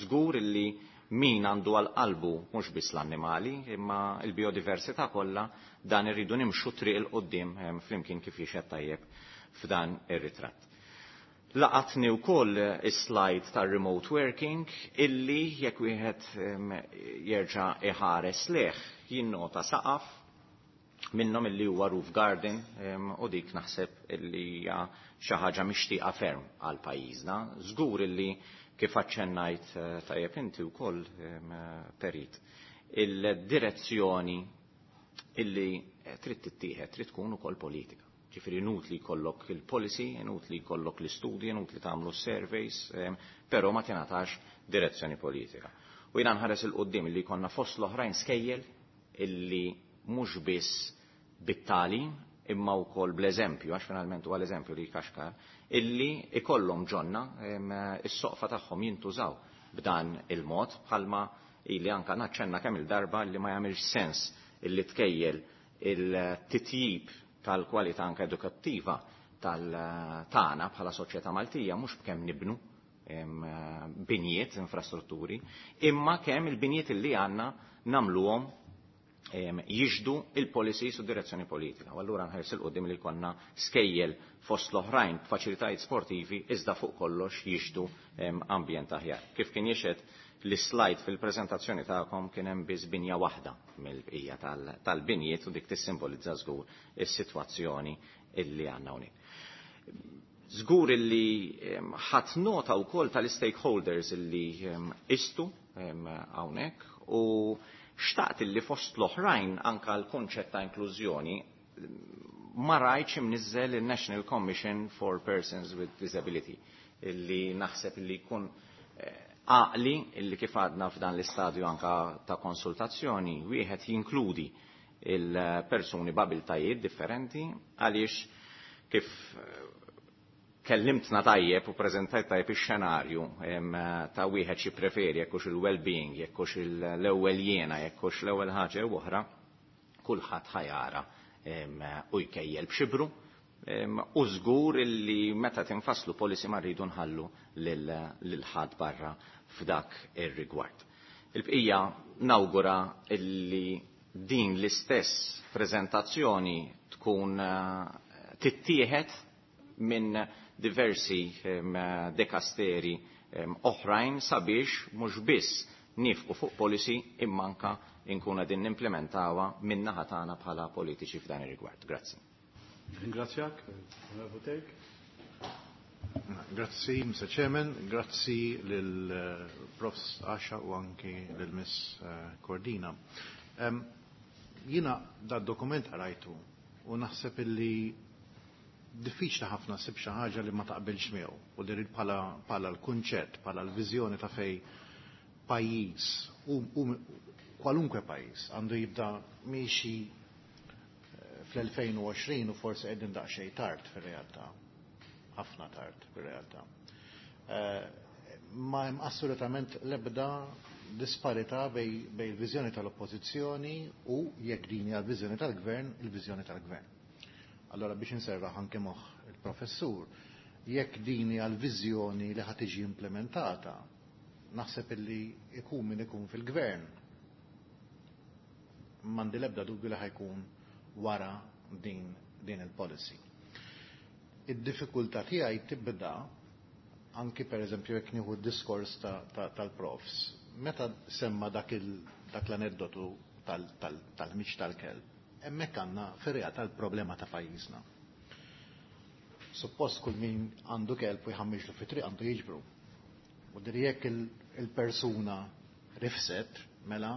żgur illi min għandu għal qalbu mhux biss l-annimali imma l-biodiversità kollha, dan irridu nimxu triq 'il quddiem flimkien kif jixhed tajjeb f'dan ir-ritratt. Laqatni wkoll is-slide tar-remote working, illi jekk wieħed jerġa' iħares leh jinnota saqaf minnhom illi huwa roof garden, u dik naħseb illi hija xi ħaġa mixtieqa ferm għal pajjiżna. Żgur illi kif aċċennajt eh, tajjeb inti wkoll, Perit, il-direzzjoni illi trid tittieħed trid tkun ukoll politika. Ġifieri inutli jkollok il-policy, inutli jkollok l-istudji, inutli tagħmlu surveys, però ma tingħatax direzzjoni politika. U jiena nħares 'il quddiem illi jkollna fost l-oħrajn skejjel illi mhux biss bit-tagħlim imma wkoll bl-eżempju, għax finalment huwa l-eżempju li jkaxkar, illi ikollhom ġonna is-soqfa tagħhom jintużaw b'dan il-mod, bħalma illi anka naċċenna kemm il-darba li ma jagħmilx sens illi tkejjel il-titjib tal-kwalità anke edukattiva tal-tagħna bħala soċjetà Maltija mhux b'kemm nibnu binjiet, infrastrutturi, imma kemm il-binjiet li għandna nagħmluhom jiġdu il-policies u direzzjoni politika. U allura nħares 'il quddiem li jkollna skejjel fost l-oħrajn b'faċilitajiet sportivi iżda fuq kollox jiġdu ambjent aħjar. Kif kien jixhed l-slide fil-preżentazzjoni tagħkom kien hemm biss binja waħda mill-bqija tal-binjiet u dik tissimbolizza żgur is-sitwazzjoni illi għandna hawnhekk. Żgur illi ħadt nota wkoll tal-stakeholders illi istu hawnhekk u xtaqt illi fost l-oħrajn anka l-konċett ta' inklużjoni ma rajtx imniżżel il-National Commission for Persons with Disability illi naħseb illi jkun għaqli illi kif għadna f'dan l-istadju anka ta' konsultazzjoni wieħed jinkludi il-persuni b'abiltajiet differenti għaliex kif kellimtna tajjeb u preżentajt tajjeb ix-xenarju ta' wieħed xi preferi jekk hux il-well-being, jekk hux l-ewwel jiena, jekk hux l-ewwel ħaġa jew oħra, kulħadd ħajara u jkejjel b'xibru u żgur illi meta tinfasslu policy ma rridu nħallu lil ħadd barra f'dak ir-rigward. Il-bqija nawgura illi din l-istess preżentazzjoni tkun tittieħed minn diversi dekasteri oħrajn sabiex mhux biss nifqu fuq policy imma anka nkunu qegħdin nimplementawha min-naħa tagħna bħala politiċi f'dan ir-rigward. Grazzi. Ringrazzjak, Onorevole Tek. Grazzi, Mister Chairman, grazzi lil Profs Asha u anki lil Miss Cordina. Um, Jina da dokument għarajtu u naħseb illi diffiċli ħafna ssib xi ħaġa li ma taqbilx miegħu u li rrid bħala bħala l-kunċett, bħala l-viżjoni ta' fej pajjiż u, u kwalunkwe pajjiż għandu jibda miexi fl-elfejn u għoxrin u forsi qegħdin daqsxejn tard fir-realtà. Ħafna tard fir-realtà. Ma hemm assolutament l-ebda disparità bej, bej il-viżjoni tal-oppożizzjoni u jekk din hija l-viżjoni tal-gvern, il-viżjoni tal-gvern. Allora biex inserraħ anke moħħ il-professur, jekk din hija l-viżjoni li ħad tiġi implementata, naħseb illi ikun min ikun fil-gvern. M'għandi l-ebda dubju li ħajkun wara din, din il-policy. Id-diffikultà tiegħi tibda anki per eżempju jekk nieħu d-diskors tal-profs. Meta semma dak dak l-aneddotu tal-ħmiġ tal-kelb, hemmhekk għandna fir-realtà l-problema ta' pajjiżna. Suppost kull min għandu kelb u jħammiġlu fi triq għandu jiġbru. U diri jekk il-persuna rifset, mela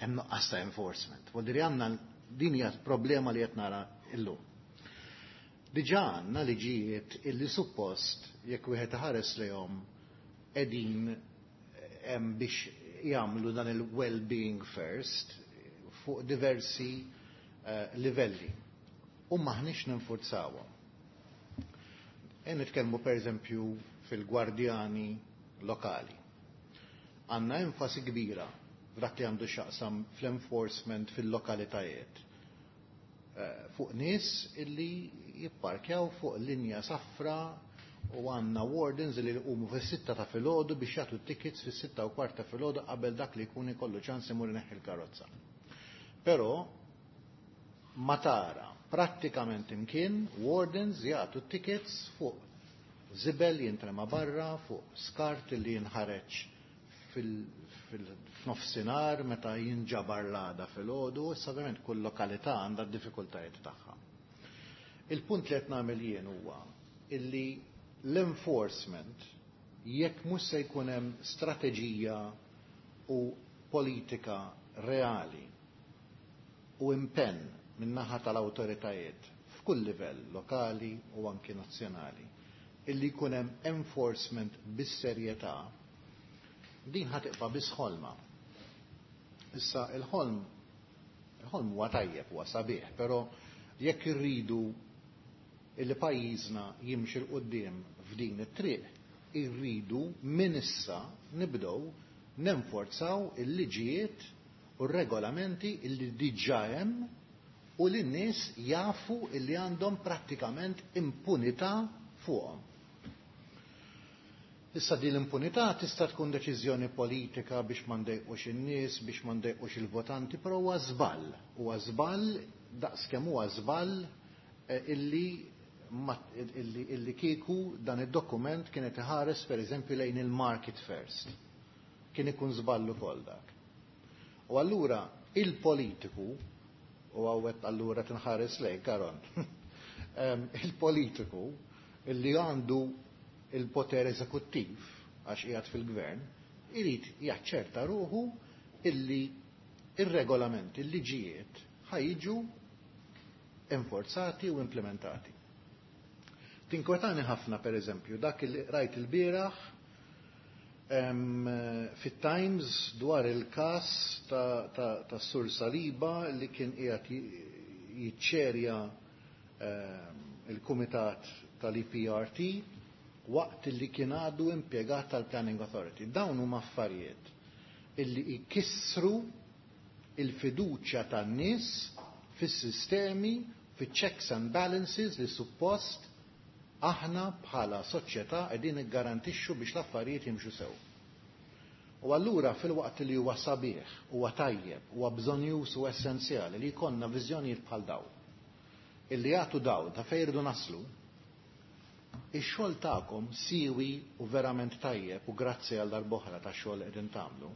hemm nuqqas ta' enforcement. U diri għandna din hija problema li qed nara illum. Diġà għandna liġijiet illi suppost jekk wieħed iħares lejhom qegħdin hemm biex jagħmlu dan il-well-being first fuq diversi uh, livelli. U maħniex ninfurzawhom. E nitkellmu pereżempju fil-gwardjani lokali. Għandna enfasi kbira f'dak li għandu x'jaqsam fl-enforcement fil-lokalitajiet. Fuq nies illi jipparkjaw fuq linja safra u għandna wardens li jqumu fis-sitta ta' filgħodu biex jagħtu tickets fis-sitta u kwarta filgħodu qabel dak li jkun ikollu ċans imur ineħħi l-karozza. Però ma tara prattikament imkien wardens jagħtu tickets fuq żibel jintrema barra, fuq skart li jinħareġ fil-nofsinhar meta jinġabar l-għada filgħodu, issa ovvjament kull lokalità għandha d-diffikultajiet tagħha. Il-punt li qed nagħmel jien huwa illi l-enforcement jekk mhux se jkun hemm strateġija u politika reali u impenn min-naħa tal-awtoritajiet f'kull livell lokali u anki nazzjonali illi jkun hemm enforcement bis-serjetà, din ħa tibqa' biss ħolma. Issa il-ħolm il-ħolm huwa tajjeb, huwa sabiħ, però jekk irridu illi pajjiżna jimxi 'l quddiem f'din it-triq, irridu minn issa nibdew nenforzaw il-liġijiet u r-regolamenti illi diġà hemm U li n-nies jafu illi għandhom prattikament impunità fuqhom. Issa din l-impunità tista' tkun deċiżjoni politika biex ma ndejqux in-nies, biex ma ndejqux il-votanti, però huwa żball. Huwa żball daqskemm huwa żball illi illi, illi kieku dan id-dokument kienet iħares pereżempju lejn il-market first. Kien ikun żball ukoll dak. U allura il-politiku, u għawet allura tinħares lejn Karon, il-politiku illi għandu il-poter eżekuttiv għax qiegħed fil-gvern, irid jaċċerta ruħu illi ir-regolamenti, il-liġijiet ħajġu enforzati u implementati. Tinkwetani ħafna per eżempju dak li rajt il-bieraħ fit-Times dwar il-kas ta', ta, ta' Sur Saliba li kien qiegħed jiċċerja il-Kumitat tal-E P R T waqt li kien għadu impjegat tal-Planning Authority. Dawn huma affarijiet illi jkissru il-fiduċja tan-nies fis-sistemi, fiċ-checks and balances li suppost aħna bħala soċjetà qegħdin niggarantixxu biex l-affarijiet jimxu sew. U allura fil-waqt li huwa sabiħ, huwa tajjeb, huwa bżonjuż u essenzjali li jkollna viżjonijiet bħal dawn, illi jagħtu dawl ta' fejn irridu naslu, ix-xogħol tagħkom siwi u verament tajjeb u grazzi għal darb'oħra tax-xogħol li qegħdin tagħmlu,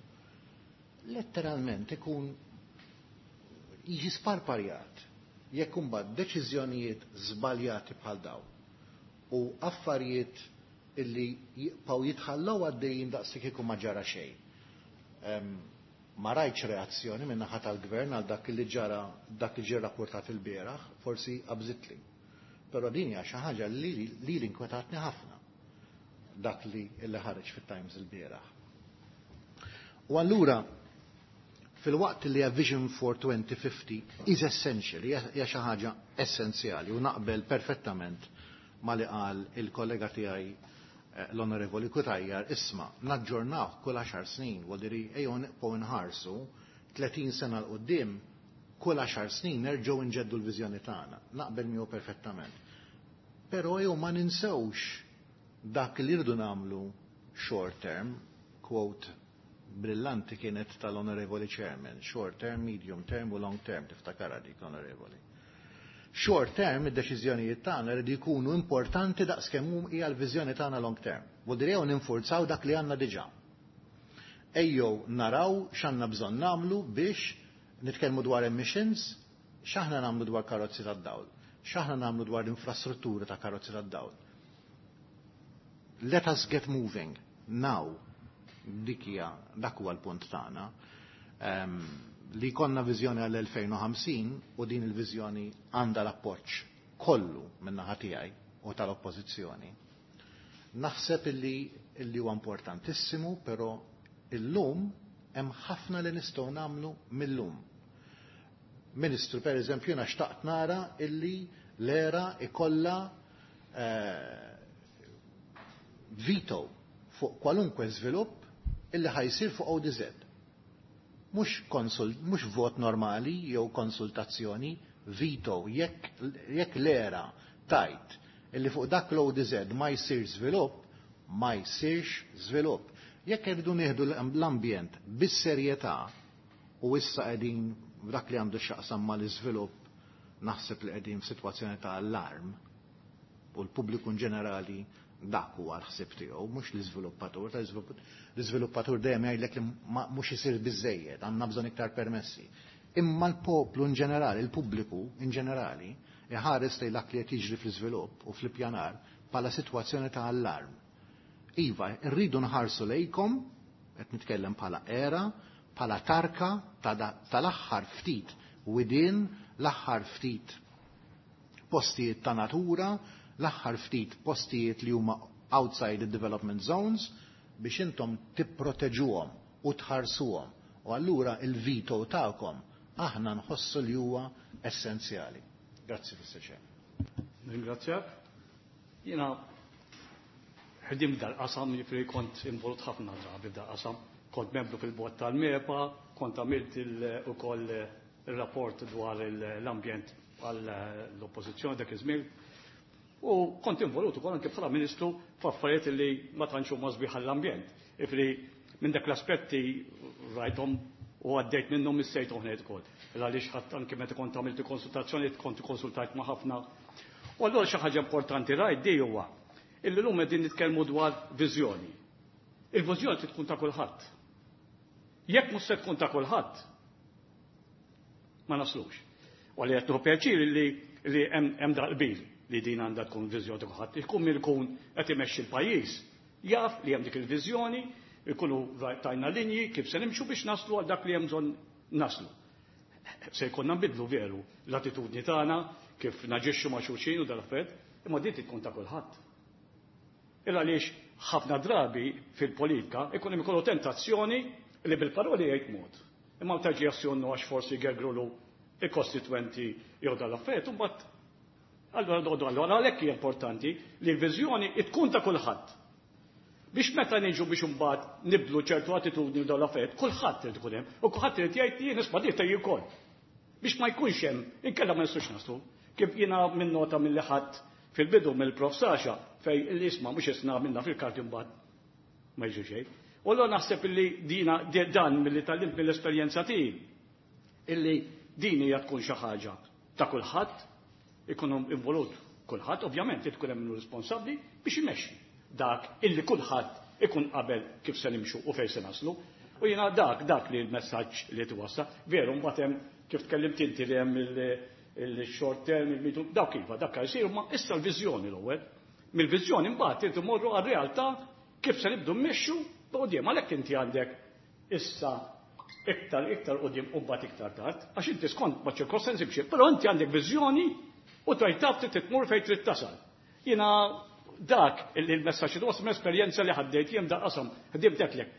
letteralment ikun jiġi sparparjat jekk imbagħad deċiżjonijiet żbaljati bħal dawn u affarijiet illi jibqgħu jitħallew għaddejjin daqs kieku ma ġara xejn. Ma rajtx reazzjoni minn naħa tal-gvern għal dak li ġara, dak li ġie rapportat il-bieraħ, forsi qabżitli. Però din hija xi ħaġa li li inkwetatni ħafna dak li li ħareġ fit-Times il-bieraħ. U allura fil-waqt li a Vision for twenty fifty is essential, hija xi ħaġa essenzjali u naqbel perfettament ma li qal il-kollega tiegħi l-Onorevoli Cutajar, isma' naġġornaw kull għaxar snin, vuol dire ejjew nibqgħu nħarsu tletin sena l quddiem kull għaxar snin nerġgħu nġeddu l-viżjoni tagħna. Naqbel miegħu perfettament. Però ejjew ma ninsewx dak li rridu nagħmlu short term, quote brillanti kienet tal-Onorevoli Chairman, short term, medium term u long term, tiftakara dik l-Onorevoli. Short term, id-deċiżjonijiet tagħna rridu jkunu importanti daqskemm hija l-viżjoni tagħna long term. Vuol dire jew ninfurzaw dak li għandna diġà. Ejjew naraw x'għandna bżonn nagħmlu biex nitkellmu dwar emissions, x'aħna nagħmlu dwar karozzi tad-dawl, x'aħna nagħmlu dwar l-infrastruttura ta' karozzi tad-dawl. Let us get moving now. Dik hija, dak huwa l-punt tagħna. Um, li konna viżjoni għal elfejn u ħamsin u din il-viżjoni għandha l-appoġġ kollu min-naħa tiegħi u tal-oppożizzjoni. Naħseb illi, illi huwa importantissimu, però illum hemm ħafna li nistgħu nagħmlu millum. Ministru, per eżempju, jiena xtaqt nara illi l-era ikollha eh, veto fuq kwalunkwe żvilupp illi ħajsir fuq O D Z. Mhux konsul, mhux vot normali jew konsultazzjoni, veto. Jekk, jekk l-era tajt illi fuq dak l-O D Z ma jsir żvilupp, ma jsirx żvilupp. Jekk irridu nieħdu l-ambjent bis-serjetà u issa qegħdin dak li għandu x'jaqsam mal-iżvilupp, naħseb li qegħdin f'sitwazzjoni ta' allarm u l-pubbliku in ġenerali dak huwa l-ħsieb tiegħu, mhux l-iżviluppatur. L-iżviluppatur dejjem jgħidlek li mhux isir biżejjed, għandna bżonn iktar permessi. Imma l-poplu in ġenerali, il-pubbliku in ġenerali, iħares lejn dak li qed jiġri fl-iżvilupp u fl-ippjanar bħala sitwazzjoni ta' allarm. Iva, rridu nħarsu lejkom, qed nitkellem bħala era, bħala tarka tal-aħħar ftit widien, l-aħħar ftit postijiet ta' natura, l-aħħar ftit postijiet li huma outside the development zones biex intom tipproteġuhom u tħarsuhom. U allura il-veto tagħkom aħna nħossu li huwa essenzjali. Grazzi, Mister Chair. Ringrazzjak. Jiena ħdimt dal-qasam, jiġifieri kont involut ħafna drabi f'dal-qasam. Kont membru fil-bord tal-MEPA, kont għamilt ukoll il-rapport dwar l-ambjent għall-oppożizzjoni dak iż-żmien. U kont involut ukoll anke bħala ministru f'affarijiet li ma tantx huma sbieħ għall-ambjent. Ifri minn dak l-aspetti rajthom u għaddejt minnhom missejt uħnejt ukoll. Għaliex ħadd anke meta kont għamilt konsultazzjoni kont konsultajt ma' ħafna. U allura xi ħaġa importanti rajt di huwa illi llum qegħdin nitkellmu dwar viżjoni. Il-viżjoni trid tkun ta' kulħadd. Jekk mhux se tkun ta' kulħadd, ma naslux. U għalli qed nieħu pjaċir li li hemm daqbil li din għandha tkun viżjoni ta' kulħadd. Ikun min ikun qed imexxi l-pajjiż jaf li hemm dik il-viżjoni, ikunu tajna linji kif se nimxu biex naslu għal dak li hemm bżonn naslu. Se jkollna nbidlu veru l-attitudni tagħna kif naġixxu ma' xulxin u dal-affarijiet, imma din tkun ta' kulħadd. Illa għaliex ħafna drabi fil-politika ikun hemm ikollu tentazzjoni li bil-paroli jgħid mod. Imma meta ġie jassjonnu għax forsi gergrulu il-kostitwenti jew dal-affarijiet, u mbagħad allura doqgħodu allura għalhekk hija importanti li l-viżjoni tkun ta' kulħadd. Biex meta niġu biex imbagħad nibdlu ċertu attitudni u dal-affarijiet, kulħadd irid ikun hemm u kulħadd irid jgħid jien nisma' dik tgħid ukoll. Biex ma jkunx hemm, inkella ma nistgħux naslu. Kif jiena minn nota milli ħadd fil-bidu mill-Prof Sasha fej l-isma mhux isna minna fil-karti mbagħad ma jiġu xejn. U allura naħseb illi dina dan milli tgħallimt mill-esperjenza tiegħi illi din hija tkun xi ħaġa ta' kulħadd, ikun involut kulħadd, ovvjament tkun hemm minnu responsabbli biex imexxi dak illi kulħadd ikun qabel kif se nimxu u fejn se naslu. U jiena dak dak li l-messaġġ li twassa, veru mbagħad hemm kif tkellimt inti li hemm il-short term, il-medium, dawk iva, dak jsir, ma issa l-viżjoni l-ewwel. Mill-viżjoni mbagħad irid imorru għar-realtà kif se nibdu mmexxu qudiem, għalhekk inti għandek issa iktar iktar qudiem u mbagħad iktar tard, għax inti skont ma' ċirkostanzi biex, però inti għandek viżjoni u tgħid taf trid tmur fejn trid tasal. Jiena dak il-messaġġ li wasal esperjenza li ħaddejt jien da qasam, ħdimt hekk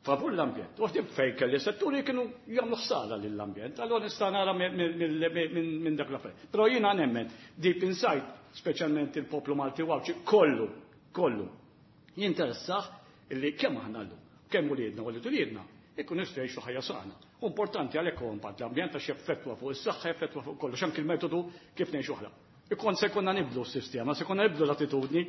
favur l-ambjent. U ħdimt fejn kelli setturi kienu jagħmlu ħsara lill-ambjent, allura nista' nara minn dak l-affarijiet. Però jiena nemmen deep inside, speċjalment il-poplu Malti u Għawdxi, kollu, kollu jinteressah illi kemm aħna llum, kemm uliedna u uliedna, ikun jistgħu jgħixu ħajja sana. U importanti għalhekk huwa impatt l-ambjent għax jeffettwa fuq is-saħħa, jeffettwa fuq kollox, anke il-metodu kif ngħixu aħna. Ikun se jkollna nibdlu s-sistema, se jkollna nibdlu l-attitudni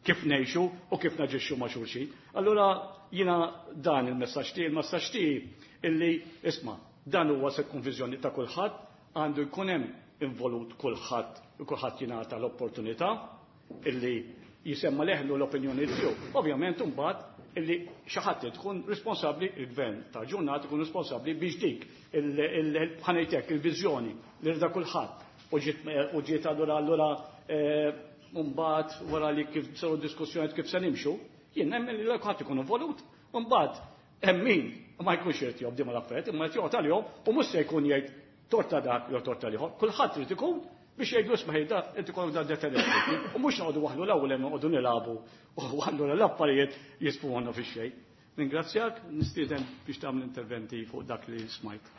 kif ngħixu u kif naġixxu ma' xulxin. Allura jiena dan il-messaġġ tiegħi, il-messaġġ tiegħi illi isma' dan huwa se tkun viżjoni ta' kulħadd, għandu jkun hemm involut kulħadd u kulħadd jingħata l-opportunità illi jisemma leħlu l-opinjoni tiegħu. Ovvjament imbagħad illi xi ħadd tkun responsabbli, il-gvern ta' ġurnata ikun responsabbli biex dik ħanejtek il-viżjoni li rida kulħadd u ġiet allura allura mbagħad wara li kif saru diskussjonijiet kif se nimxu, jien nemmen li kulħadd ikun involut, u mbagħad hemm min ma jkunx irid jobdi mal-affarijiet, imma qed joqgħod għalihom u mhux se jkun jgħid torta dak jew torta l-ieħor. Kulħadd irid ikun biex jgħidu isma' ħejda inti kollok dan determinati. U mhux noqogħdu waħlu l-ewwel hemm noqogħdu nilagħbu u allura l-affarijiet jisfuhonna fix-xejn. Ningrazzjak, nistieden biex tagħmel interventi fuq dak li smajt.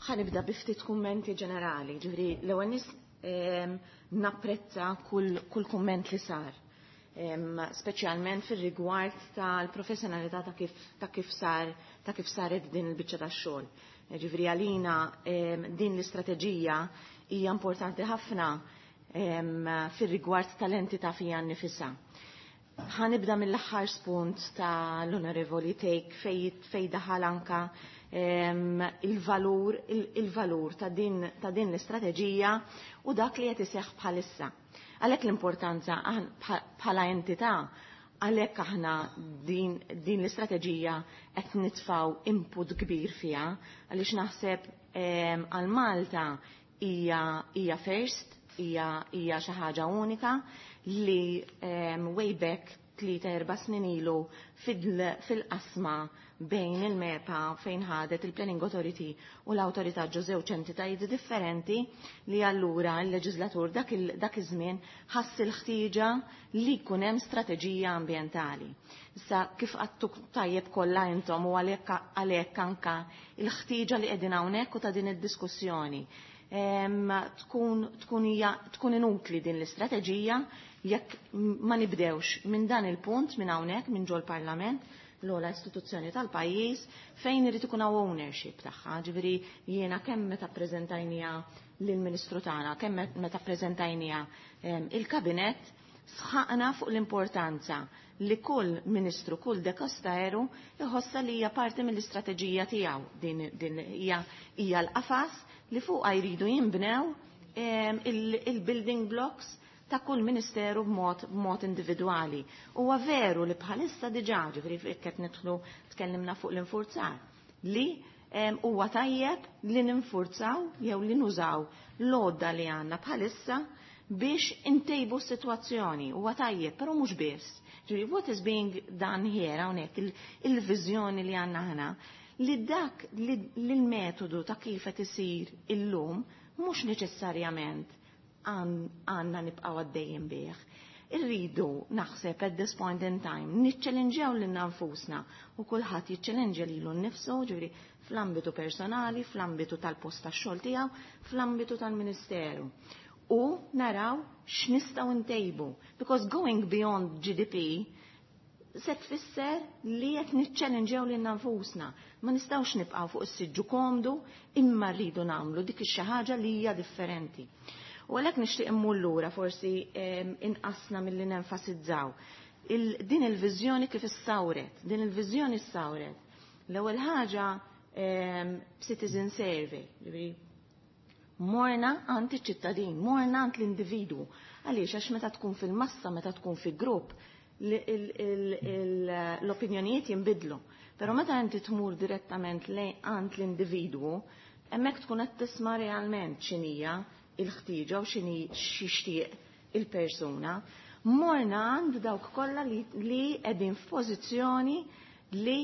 Ħanibda bi ftit kummenti ġenerali, ġifieri l-ewwel nies napprezza kull, kull kumment li sar, speċjalment fir-rigward tal-professjonalità ta' kif, ta' kif sar ta' kif saret din il-biċċa tax-xogħol. Ġifieri għalina din l-istrateġija hija importanti ħafna fir-rigward tal-entità fija nnifisha. Ħanibda mill-aħħar spunt tal-Onorevoli Take fej, fej daħal anka il-valur il-valur ta' din ta' din l-istrateġija u dak li qed iseħħ bħalissa. Għalhekk l-importanza bħala entità, għalhekk aħna din, din l-istrateġija qed nitfgħu input kbir fiha, għaliex naħseb għal Malta hija hija first, hija hija xi ħaġa unika li way back tlieta erba' snin ilu fil-qasma bejn il-MEPA fejn ħadet il-Planning Authority u l-Awtorità ġo żewġ entitajiet differenti li allura l-leġislatur dak iż-żmien ħass il-ħtieġa li jkun hemm strateġija ambjentali. Issa kif għattu tajjeb kollha intom u għalhekk għalhekk anka il-ħtieġa li qegħdin hawnhekk u ta' din id-diskussjoni. Tkun tkun hija tkun inutli din l-istrateġija jekk ma nibdewx minn dan il-punt minn hawnhekk minn ġol-Parlament, l-ogħla istituzzjoni tal-pajjiż, fejn irid ikun hawn ownership tagħha. Ġifieri jiena kemm meta ppreżentajniha lill-Ministru tagħna, kemm meta ppreżentajniha il-Kabinett, sħaqna fuq l-importanza li kull ministru, kull dekasteru iħossa li hija parti mill-istrateġija tiegħu. Din, din hija hija l-qafas li fuqha jridu jinbnew il-building blocks ta' kull ministeru b'mod b'mod individwali. Huwa veru li bħalissa diġà, ġifieri qed nidħlu tkellimna fuq l-infurzar, li huwa tajjeb li ninfurzaw jew li nużaw l-għodda li għandna bħalissa biex intejbu s-sitwazzjoni. Huwa tajjeb, però mhux biss. Ġifieri what is being done here hawnhekk, il-viżjoni li għandna aħna, li dak li l-metodu ta' kif qed isir illum mhux neċessarjament għandna nibqgħu għaddejjin bih. Irridu naħseb at this point in time niċċellinġjaw lilna nfusna u kulħadd jiċċellinġja lilu nnifsu, ġifieri fl-ambitu personali, fl-ambitu tal-post tax-xogħol tiegħu, fl-ambitu tal-Ministeru. U naraw x'nistgħu ntejbu. Because going beyond G D P se tfisser li qed niċċellinġew lilna nfusna. Ma nistgħux nibqgħu fuq is-siġġu komdu, imma rridu nagħmlu dik ix-xi ħaġa li hija differenti. U għalhekk nixtieq immur lura, forsi inqasna milli nenfasizzaw. Il, din il-viżjoni kif issawret, din il-viżjoni issawret. L-ewwel ħaġa, citizen survey, ġifieri morna għand iċ-ċittadin, morna għand l-individwu. Għaliex? Għax meta tkun fil-massa, meta tkun fi grupp, l-opinjonijiet jinbidlu. Però meta inti tmur direttament għand l-individwu, hemmhekk tkun qed tisma' realment x'inhija il-ħtieġa u x'inhi x'ixtieq il-persuna. Morna għand dawk kollha li qegħdin f'pożizzjoni li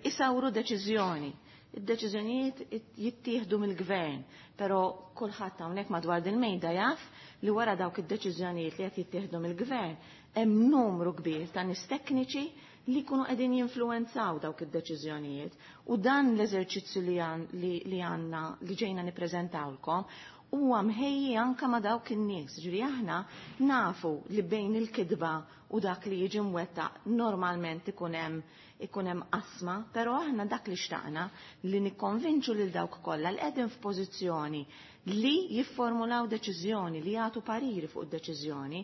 isawru deċiżjoni. Id-deċiżjonijiet jittieħdu mill-gvern, però kulħadd hawnhekk madwar din mejda jaf li wara dawk id-deċiżjonijiet li qed jittieħdu mill-gvern hemm numru kbir ta' nies tekniċi li jkunu qegħdin jinfluwenzaw dawk id-deċiżjonijiet. U dan l-eżerċizzju li għandna li ġejna nippreżentawlkom huwa mħejji anka ma' dawk in-nies. Ġifieri aħna nafu li bejn il-kidba u dak li jiġi mwettaq normalment ikun hemm ikun hemm qasma, però aħna dak li xtaqna li nikkonvinċu lil dawk kollha li qegħdin f'pożizzjoni li jifformulaw deċiżjoni, li jagħtu pariri fuq id-deċiżjoni,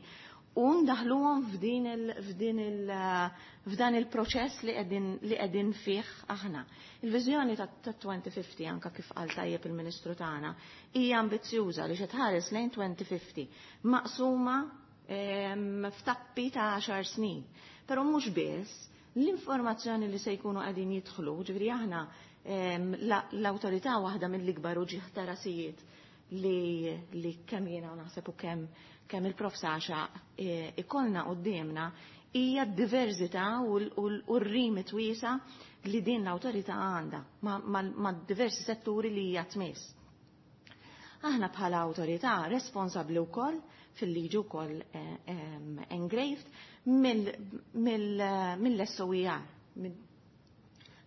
u ndaħluhom f'din il, f'din il, f'dan il-proċess li qegħdin li qegħdin fih aħna. Il-viżjoni ta' elfejn u ħamsin, anka kif qal tajjeb il-Ministru tagħna, hija ambizzjuża li xi tħares lejn elfejn u ħamsin maqsuma f'tappi ta' għaxar snin. Però mhux biss, l-informazzjoni li se jkunu qegħdin jidħlu, ġifieri aħna l-awtorità, waħda mill-ikbar uġigħ ta' rasijiet li, li kemm jiena naħseb u kemm kemm il-Prof Saxa e, ikollna qudiemna hija d-diversità u r-remit wiesa' li din l-awtorità għandha ma' diversi setturi li hija tmiss. Aħna bħala awtorità responsabbli wkoll fil-liġi wkoll engraved mill-S O E R.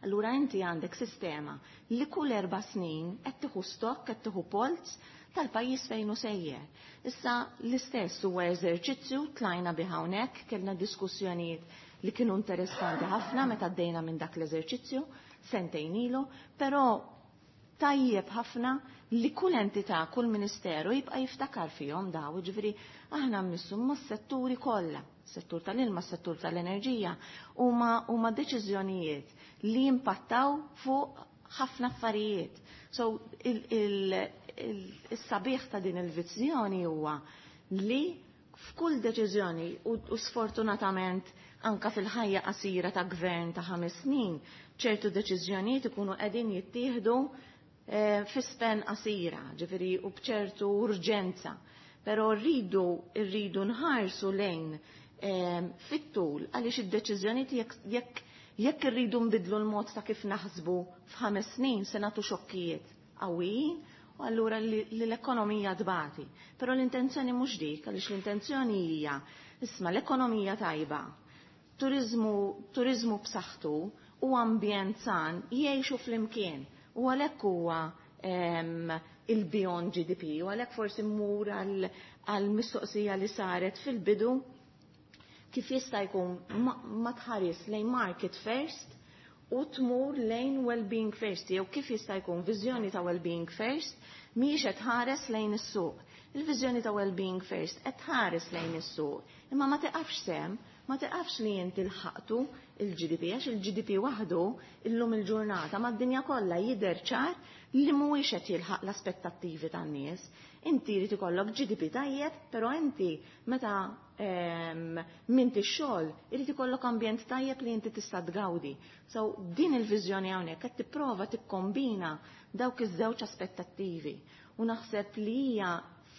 Allura inti għandek sistema li kull erba' snin qed tieħu stock, qed tieħu polz tal-pajjiż fejn hu sejjer. Issa l-istess huwa eżerċizzju tlajna bi hawnhekk, kellna diskussjonijiet li kienu interessanti ħafna meta għaddejna minn dak l-eżerċizzju sentejn ilu, però tajjeb ħafna li kull entità, kull ministeru jibqa' jiftakar fihom daw, ġifieri aħna mmissu mas-setturi kollha, settur tal-ilma, settur tal-enerġija, huma huma deċiżjonijiet li jimpattaw fuq ħafna affarijiet. So il-sabiħ ta' din il-viżjoni huwa li f'kull deċiżjoni, u sfortunatament anka fil-ħajja qasira ta' gvern ta' ħames snin, ċertu deċiżjonijiet ikunu qegħdin jittieħdu eh, fi span qasira, ġifieri u b'ċertu urġenza. Però rridu rridu nħarsu lejn eh, fit-tul, għaliex id-deċiżjonijiet, jekk jekk irridu nbidlu l-mod ta' kif naħsbu f'ħames snin, se nagħtu xokkijiet qawwijin u allura li l-ekonomija tbati. Però l-intenzjoni mhux dik, għaliex l-intenzjoni hija, isma', l-ekonomija tajba, turizmu, turizmu b'saħħtu u ambjent san jgħixu flimkien. U għalhekk huwa il-beyond G D P, u għalhekk forsi mmur għal mistoqsija li saret fil-bidu kif jista' jkun ma tħares lejn market first u tmur lejn well-being first, jew kif jista' jkun viżjoni ta' well-being first mhijiex qed tħares lejn is-suq. Il-viżjoni ta' well-being first qed tħares lejn is-suq, imma ma tiqafx sem, ma tiqafx li inti lħaqtu il-G D P, għax il-G D P waħdu illum il-ġurnata mad-dinja kollha jidher ċar li mhuwiex qed jilħaq l-aspettattivi tan-nies. Inti jrid ikollok G D P tajjeb, però inti meta minti x-xogħol irid ikollok ambjent tajjeb li inti tista' tgawdi. So din il-viżjoni hawnhekk qed tipprova tikkombina dawk iż-żewġ aspettattivi u naħseb li hija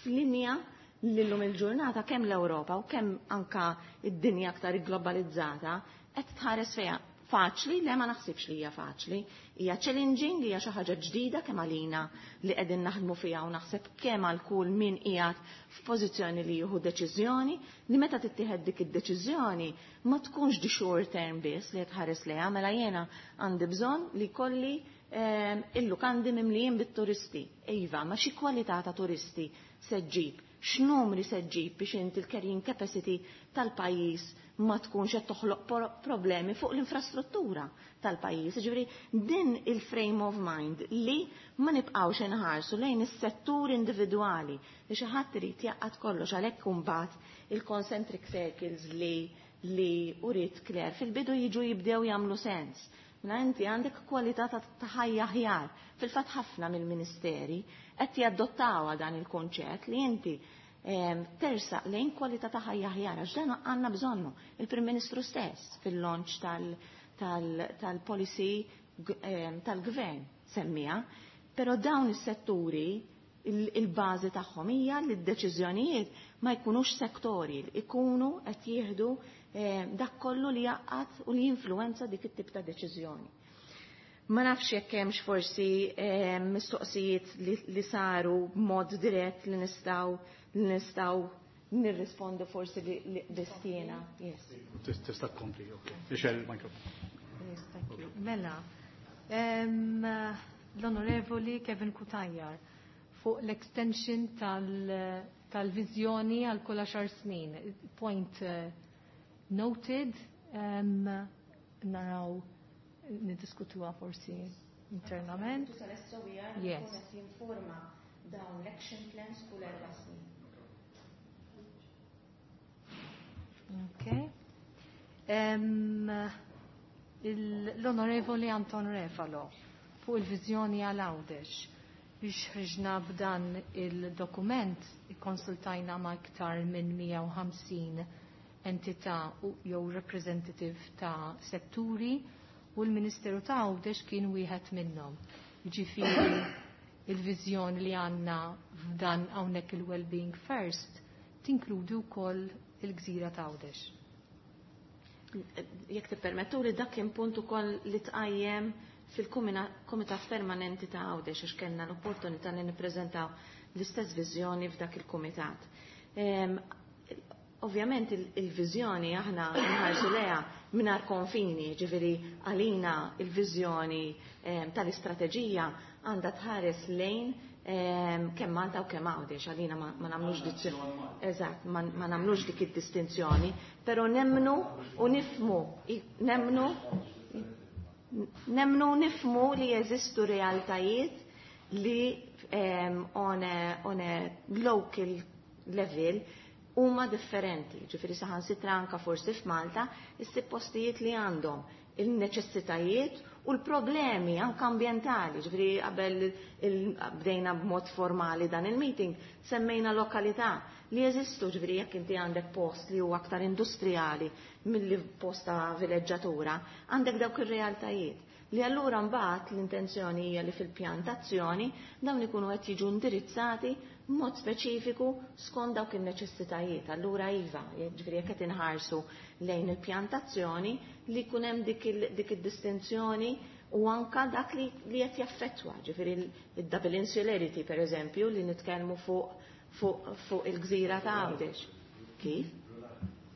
f'linja li llum il-ġurnata kemm l-Ewropa u kemm anka id-dinja aktar globalizzata qed tħares fejha. Faċli? Le, ma naħsibx li hija faċli. Hija challenging, hija xi ħaġa ġdida kemm għalina li qegħdin naħdmu fiha u naħseb kemm għal kull min qiegħed f'pożizzjoni li jieħu deċiżjoni li meta tittieħed dik id-deċiżjoni ma tkunx di short term biss li tħares lejha, mela jiena għandi bżonn li kolli il-lukandi mimlijin bit-turisti. Iva, ma xi kwalità ta' turisti se ġġib, x'numri se ġġib biex inti l-carrying capacity tal-pajjiż ma tkunx qed toħloq problemi fuq l-infrastruttura tal-pajjiż. Ġifieri din il-frame of mind li ma nibqgħux inħarsu lejn is-settur individwali li xi ħadd irid jaqgħad kollox, għalhekk imbagħad il-concentric circles li li uriet Claire fil-bidu jiġu jibdew jagħmlu sens. Mela inti għandek kwalità ta' ħajja aħjar. Fil-fatt ħafna mill-ministeri qed jadottawha dan il-konċett li inti tersaq lejn kwalità ta' ħajja aħjar, għax dan għandna bżonnu. Il-Prim Ministru stess fil-launch tal-policy tal-gvern semmija, però dawn is-setturi il-bażi tagħhom hija li d-deċiżjonijiet ma jkunux sektori, ikunu qed jieħdu dak kollu li jaqgħad u li jinfluwenza dik it-tip ta' deċiżjoni. Ma nafx jekk hemmx forsi mistoqsijiet li saru b'mod dirett li nistgħu li nistgħu nirrispondu forsi li destina. Yes. Tista' tkompli, ok. Ixel il-mikrofon. Yes, thank you. Mela, l-Onorevoli Kevin Cutajar fuq l-extension tal-viżjoni għal kull għaxar snin. Point noted, naraw niddiskutuha forsi internament. Yes. Jinforma dawn l-action plans kull erba' snin. Okay. L-Onorevoli Anton Refalo fuq il-viżjoni għal Għawdex. Biex ħriġna b'dan il-dokument ikkonsultajna ma' iktar minn mija u ħamsin entità jew representative ta' setturi u l-Ministeru ta' Għawdex kien wieħed minnhom. Jiġifieri il-viżjoni li għandna f'dan hawnhekk il-Wellbeing First tinkludi wkoll il-gżira ta' Għawdex. Jekk tippermettu li dak kien punt ukoll li tqajjem fil-Kumitat Permanenti ta' Għawdex għax kellna l-opportunità li nippreżentaw l-istess viżjoni f'dak il-kumitat. Ovvjament il-viżjoni aħna nħarsu leha mingħajr konfini, ġifieri għalina il-viżjoni tal-istrateġija għandha tħares lejn kemm Malta u kemm Għawdex, għalina ma nagħmlux distinzjoni. Eżatt, ma nagħmlux dik id-distinzjoni, però nemmnu u nifmu, nemmnu nemmnu nifmu li jeżistu realtajiet li on a, on a local level huma differenti. Ġifieri saħansitra anka forsi f'Malta issib postijiet li għandhom il-neċessitajiet u l-problemi anka ambjentali. Ġifieri qabel bdejna b'mod formali dan il-meeting semmejna lokalità li jeżistu, ġifieri jekk inti għandek post li huwa aktar industrijali milli post ta' vileġġatura, għandek dawk ir-realtajiet li allura mbagħad l-intenzjoni hija li fil-pjantazzjoni dawn ikunu qed jiġu indirizzati b'mod speċifiku skont dawk in-neċessitajiet. Allura iva, ġifieri jekk qed inħarsu lejn il-pjantazzjoni li jkun hemm dik id-distinzjoni u anka dak li qed jaffettwa, ġifieri id-double insularity pereżempju li nitkellmu fuq fuq il-gżira ta' Għawdex. Kif?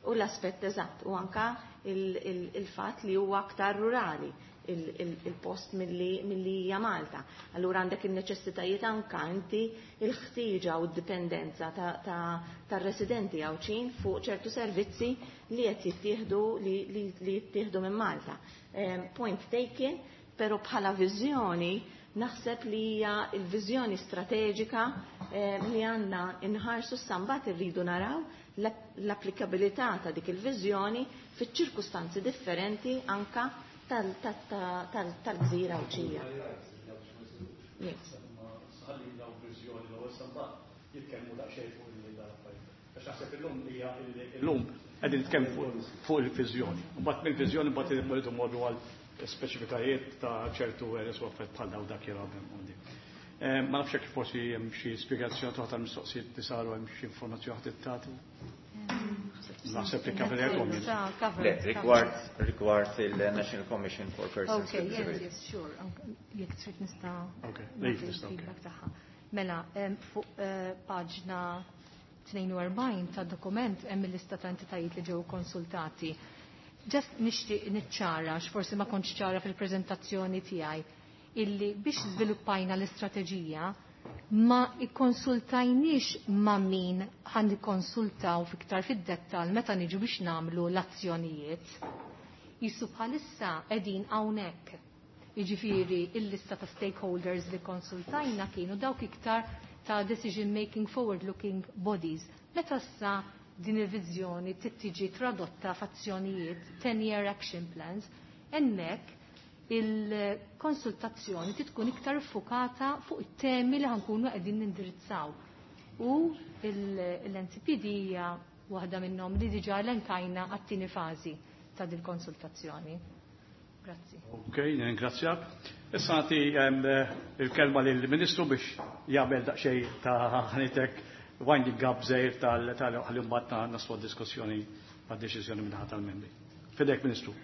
U l-aspett eżatt, u anka il-fatt li huwa aktar rurali. il-post milli hija Malta. Allura għandek il-neċessitajiet anka inti il-ħtieġa u d-dipendenza tar-residenti Għawdxin fuq ċertu servizzi li qed jittieħdu li jittieħdu minn Malta. Point taken, però bħala viżjoni naħseb li hija l-viżjoni strateġika li għandna inħarsu s-sambat irridu naraw l-applikabilità ta' dik il-viżjoni fiċ-ċirkustanzi differenti anka tal-gżira Għawdxija. Illum qegħdin nitkellmu fuq il-viżjoni. Mbagħad mill-viżjoni mbagħad irridu mmorru għal speċifikajiet ta' ċertu areas u affarijiet bħal dawn dak jilgħab. Ma nafx jekk forsi hemm xi spjegazzjoni toħ tal-mistoqsijiet li saru hemm xi informazzjoni ħadd tagħti. Naħseb li cover Le, rigward rigward il-National Commission for Persons Okay, with yes, Disabilities. yes, sure. Jekk trid nista' Okay, nagħti leave tista' okay. l-feedback tagħha. Mela, em, fuq eh, paġna tnejn u erbgħin ta' dokument hemm il-lista ta' entitajiet li ġew konsultati. Just nixtieq niċċara, x'forsi ma kontx ċara fil-preżentazzjoni tiegħi, illi biex żviluppajna l-istrateġija ma ikkonsultajniex ma' min ħan nikkonsultaw fiktar fid-dettal meta niġu biex nagħmlu l-azzjonijiet. Jisu bħalissa qegħdin hawnhekk. Jiġifieri il-lista ta' stakeholders li konsultajna kienu dawk iktar ta' decision making forward looking bodies. Meta issa din il-viżjoni tittiġi tradotta f'azzjonijiet ten-year action plans, hemmhekk il-konsultazzjoni titkun iktar fukata fuq it-temi li ħankunu qegħdin nindirizzaw. U l-N C P D hija waħda minnhom li diġà elenkajna għat-tieni fażi ta' dil-konsultazzjoni. Grazzi. Ok, ringrazzjak. Issa nagħti, em, il-kelma lill-Ministru biex jagħmel daqsxejn ta' ħanitek winding up żejr tal-, tal-, ħalli mbagħad naslu għad-diskussjoni għad-deċiżjoni minn ħadd tal-membri. Fidek, Ministru.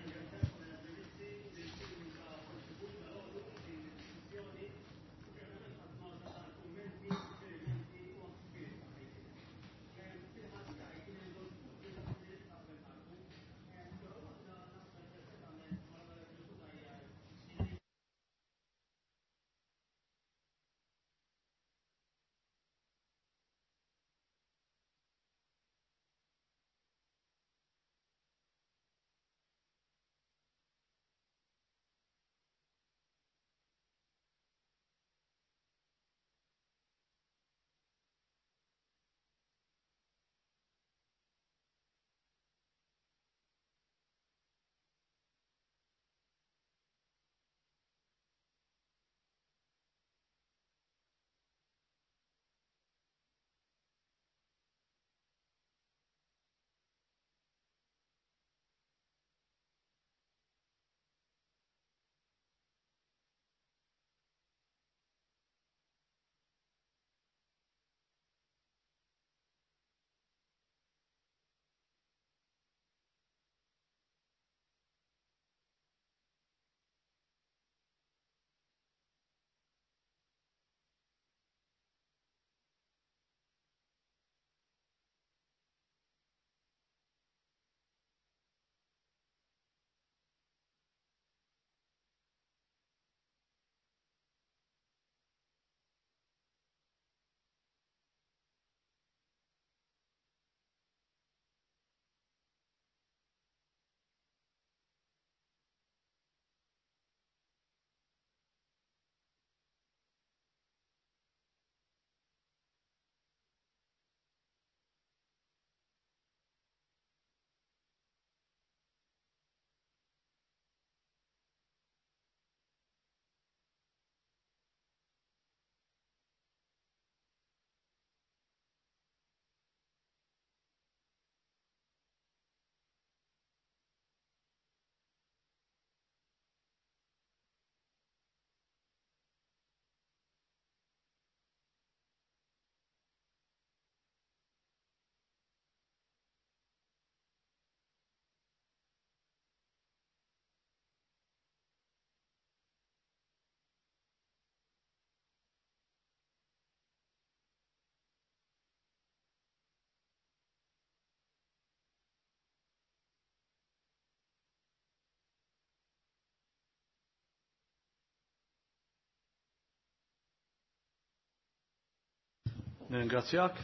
Nirringrazzjak.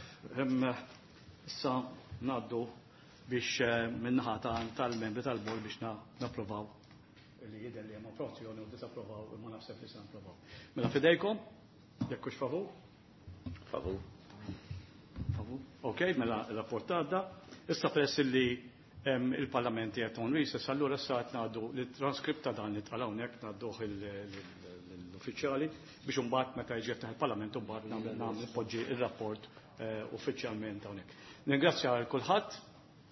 Issa ngħaddu biex eh, min-naħa tal-membri tal-bord biex napprovaw li jidher li hemm approvazzjoni u disapprovaw imma naħseb li se napprovaw. Mela fidejkom, jekk hux favur? Favur. Favur. Ok, mela l-rapport għadda. Issa peress li il-Parlament qed on recess, allura issa qed ngħaddu l-transkript ta' dan li tqal hawnhekk ngħadduh l-uffiċjali biex imbagħad meta jiġi jiftaħ il-Parlament imbagħad nagħmel nagħmel ir-rapport eh, uffiċjalment hawnhekk. Ningrazzja għal kulħadd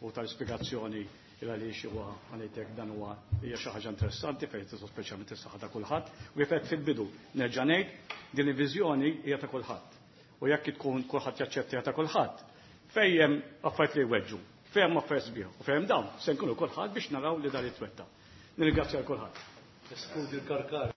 u tal-ispjegazzjoni il għaliex huwa għalejtek dan huwa hija xi ħaġa interessanti fejn tista' speċjalment is-saħħa ta' kulħadd. U kif fil-bidu nerġa' ngħid din il-viżjoni hija ta' kulħadd. U jekk tkun kulħadd jaċċetta ta' kulħadd, fejn hemm affarijiet li jweġġu, fejn hemm affarijiet sbieħ u fejn hemm dawn se nkunu kulħadd biex naraw li dan jitwetta. Nirringrazzja l kulħadd. Eskludi l-karkar.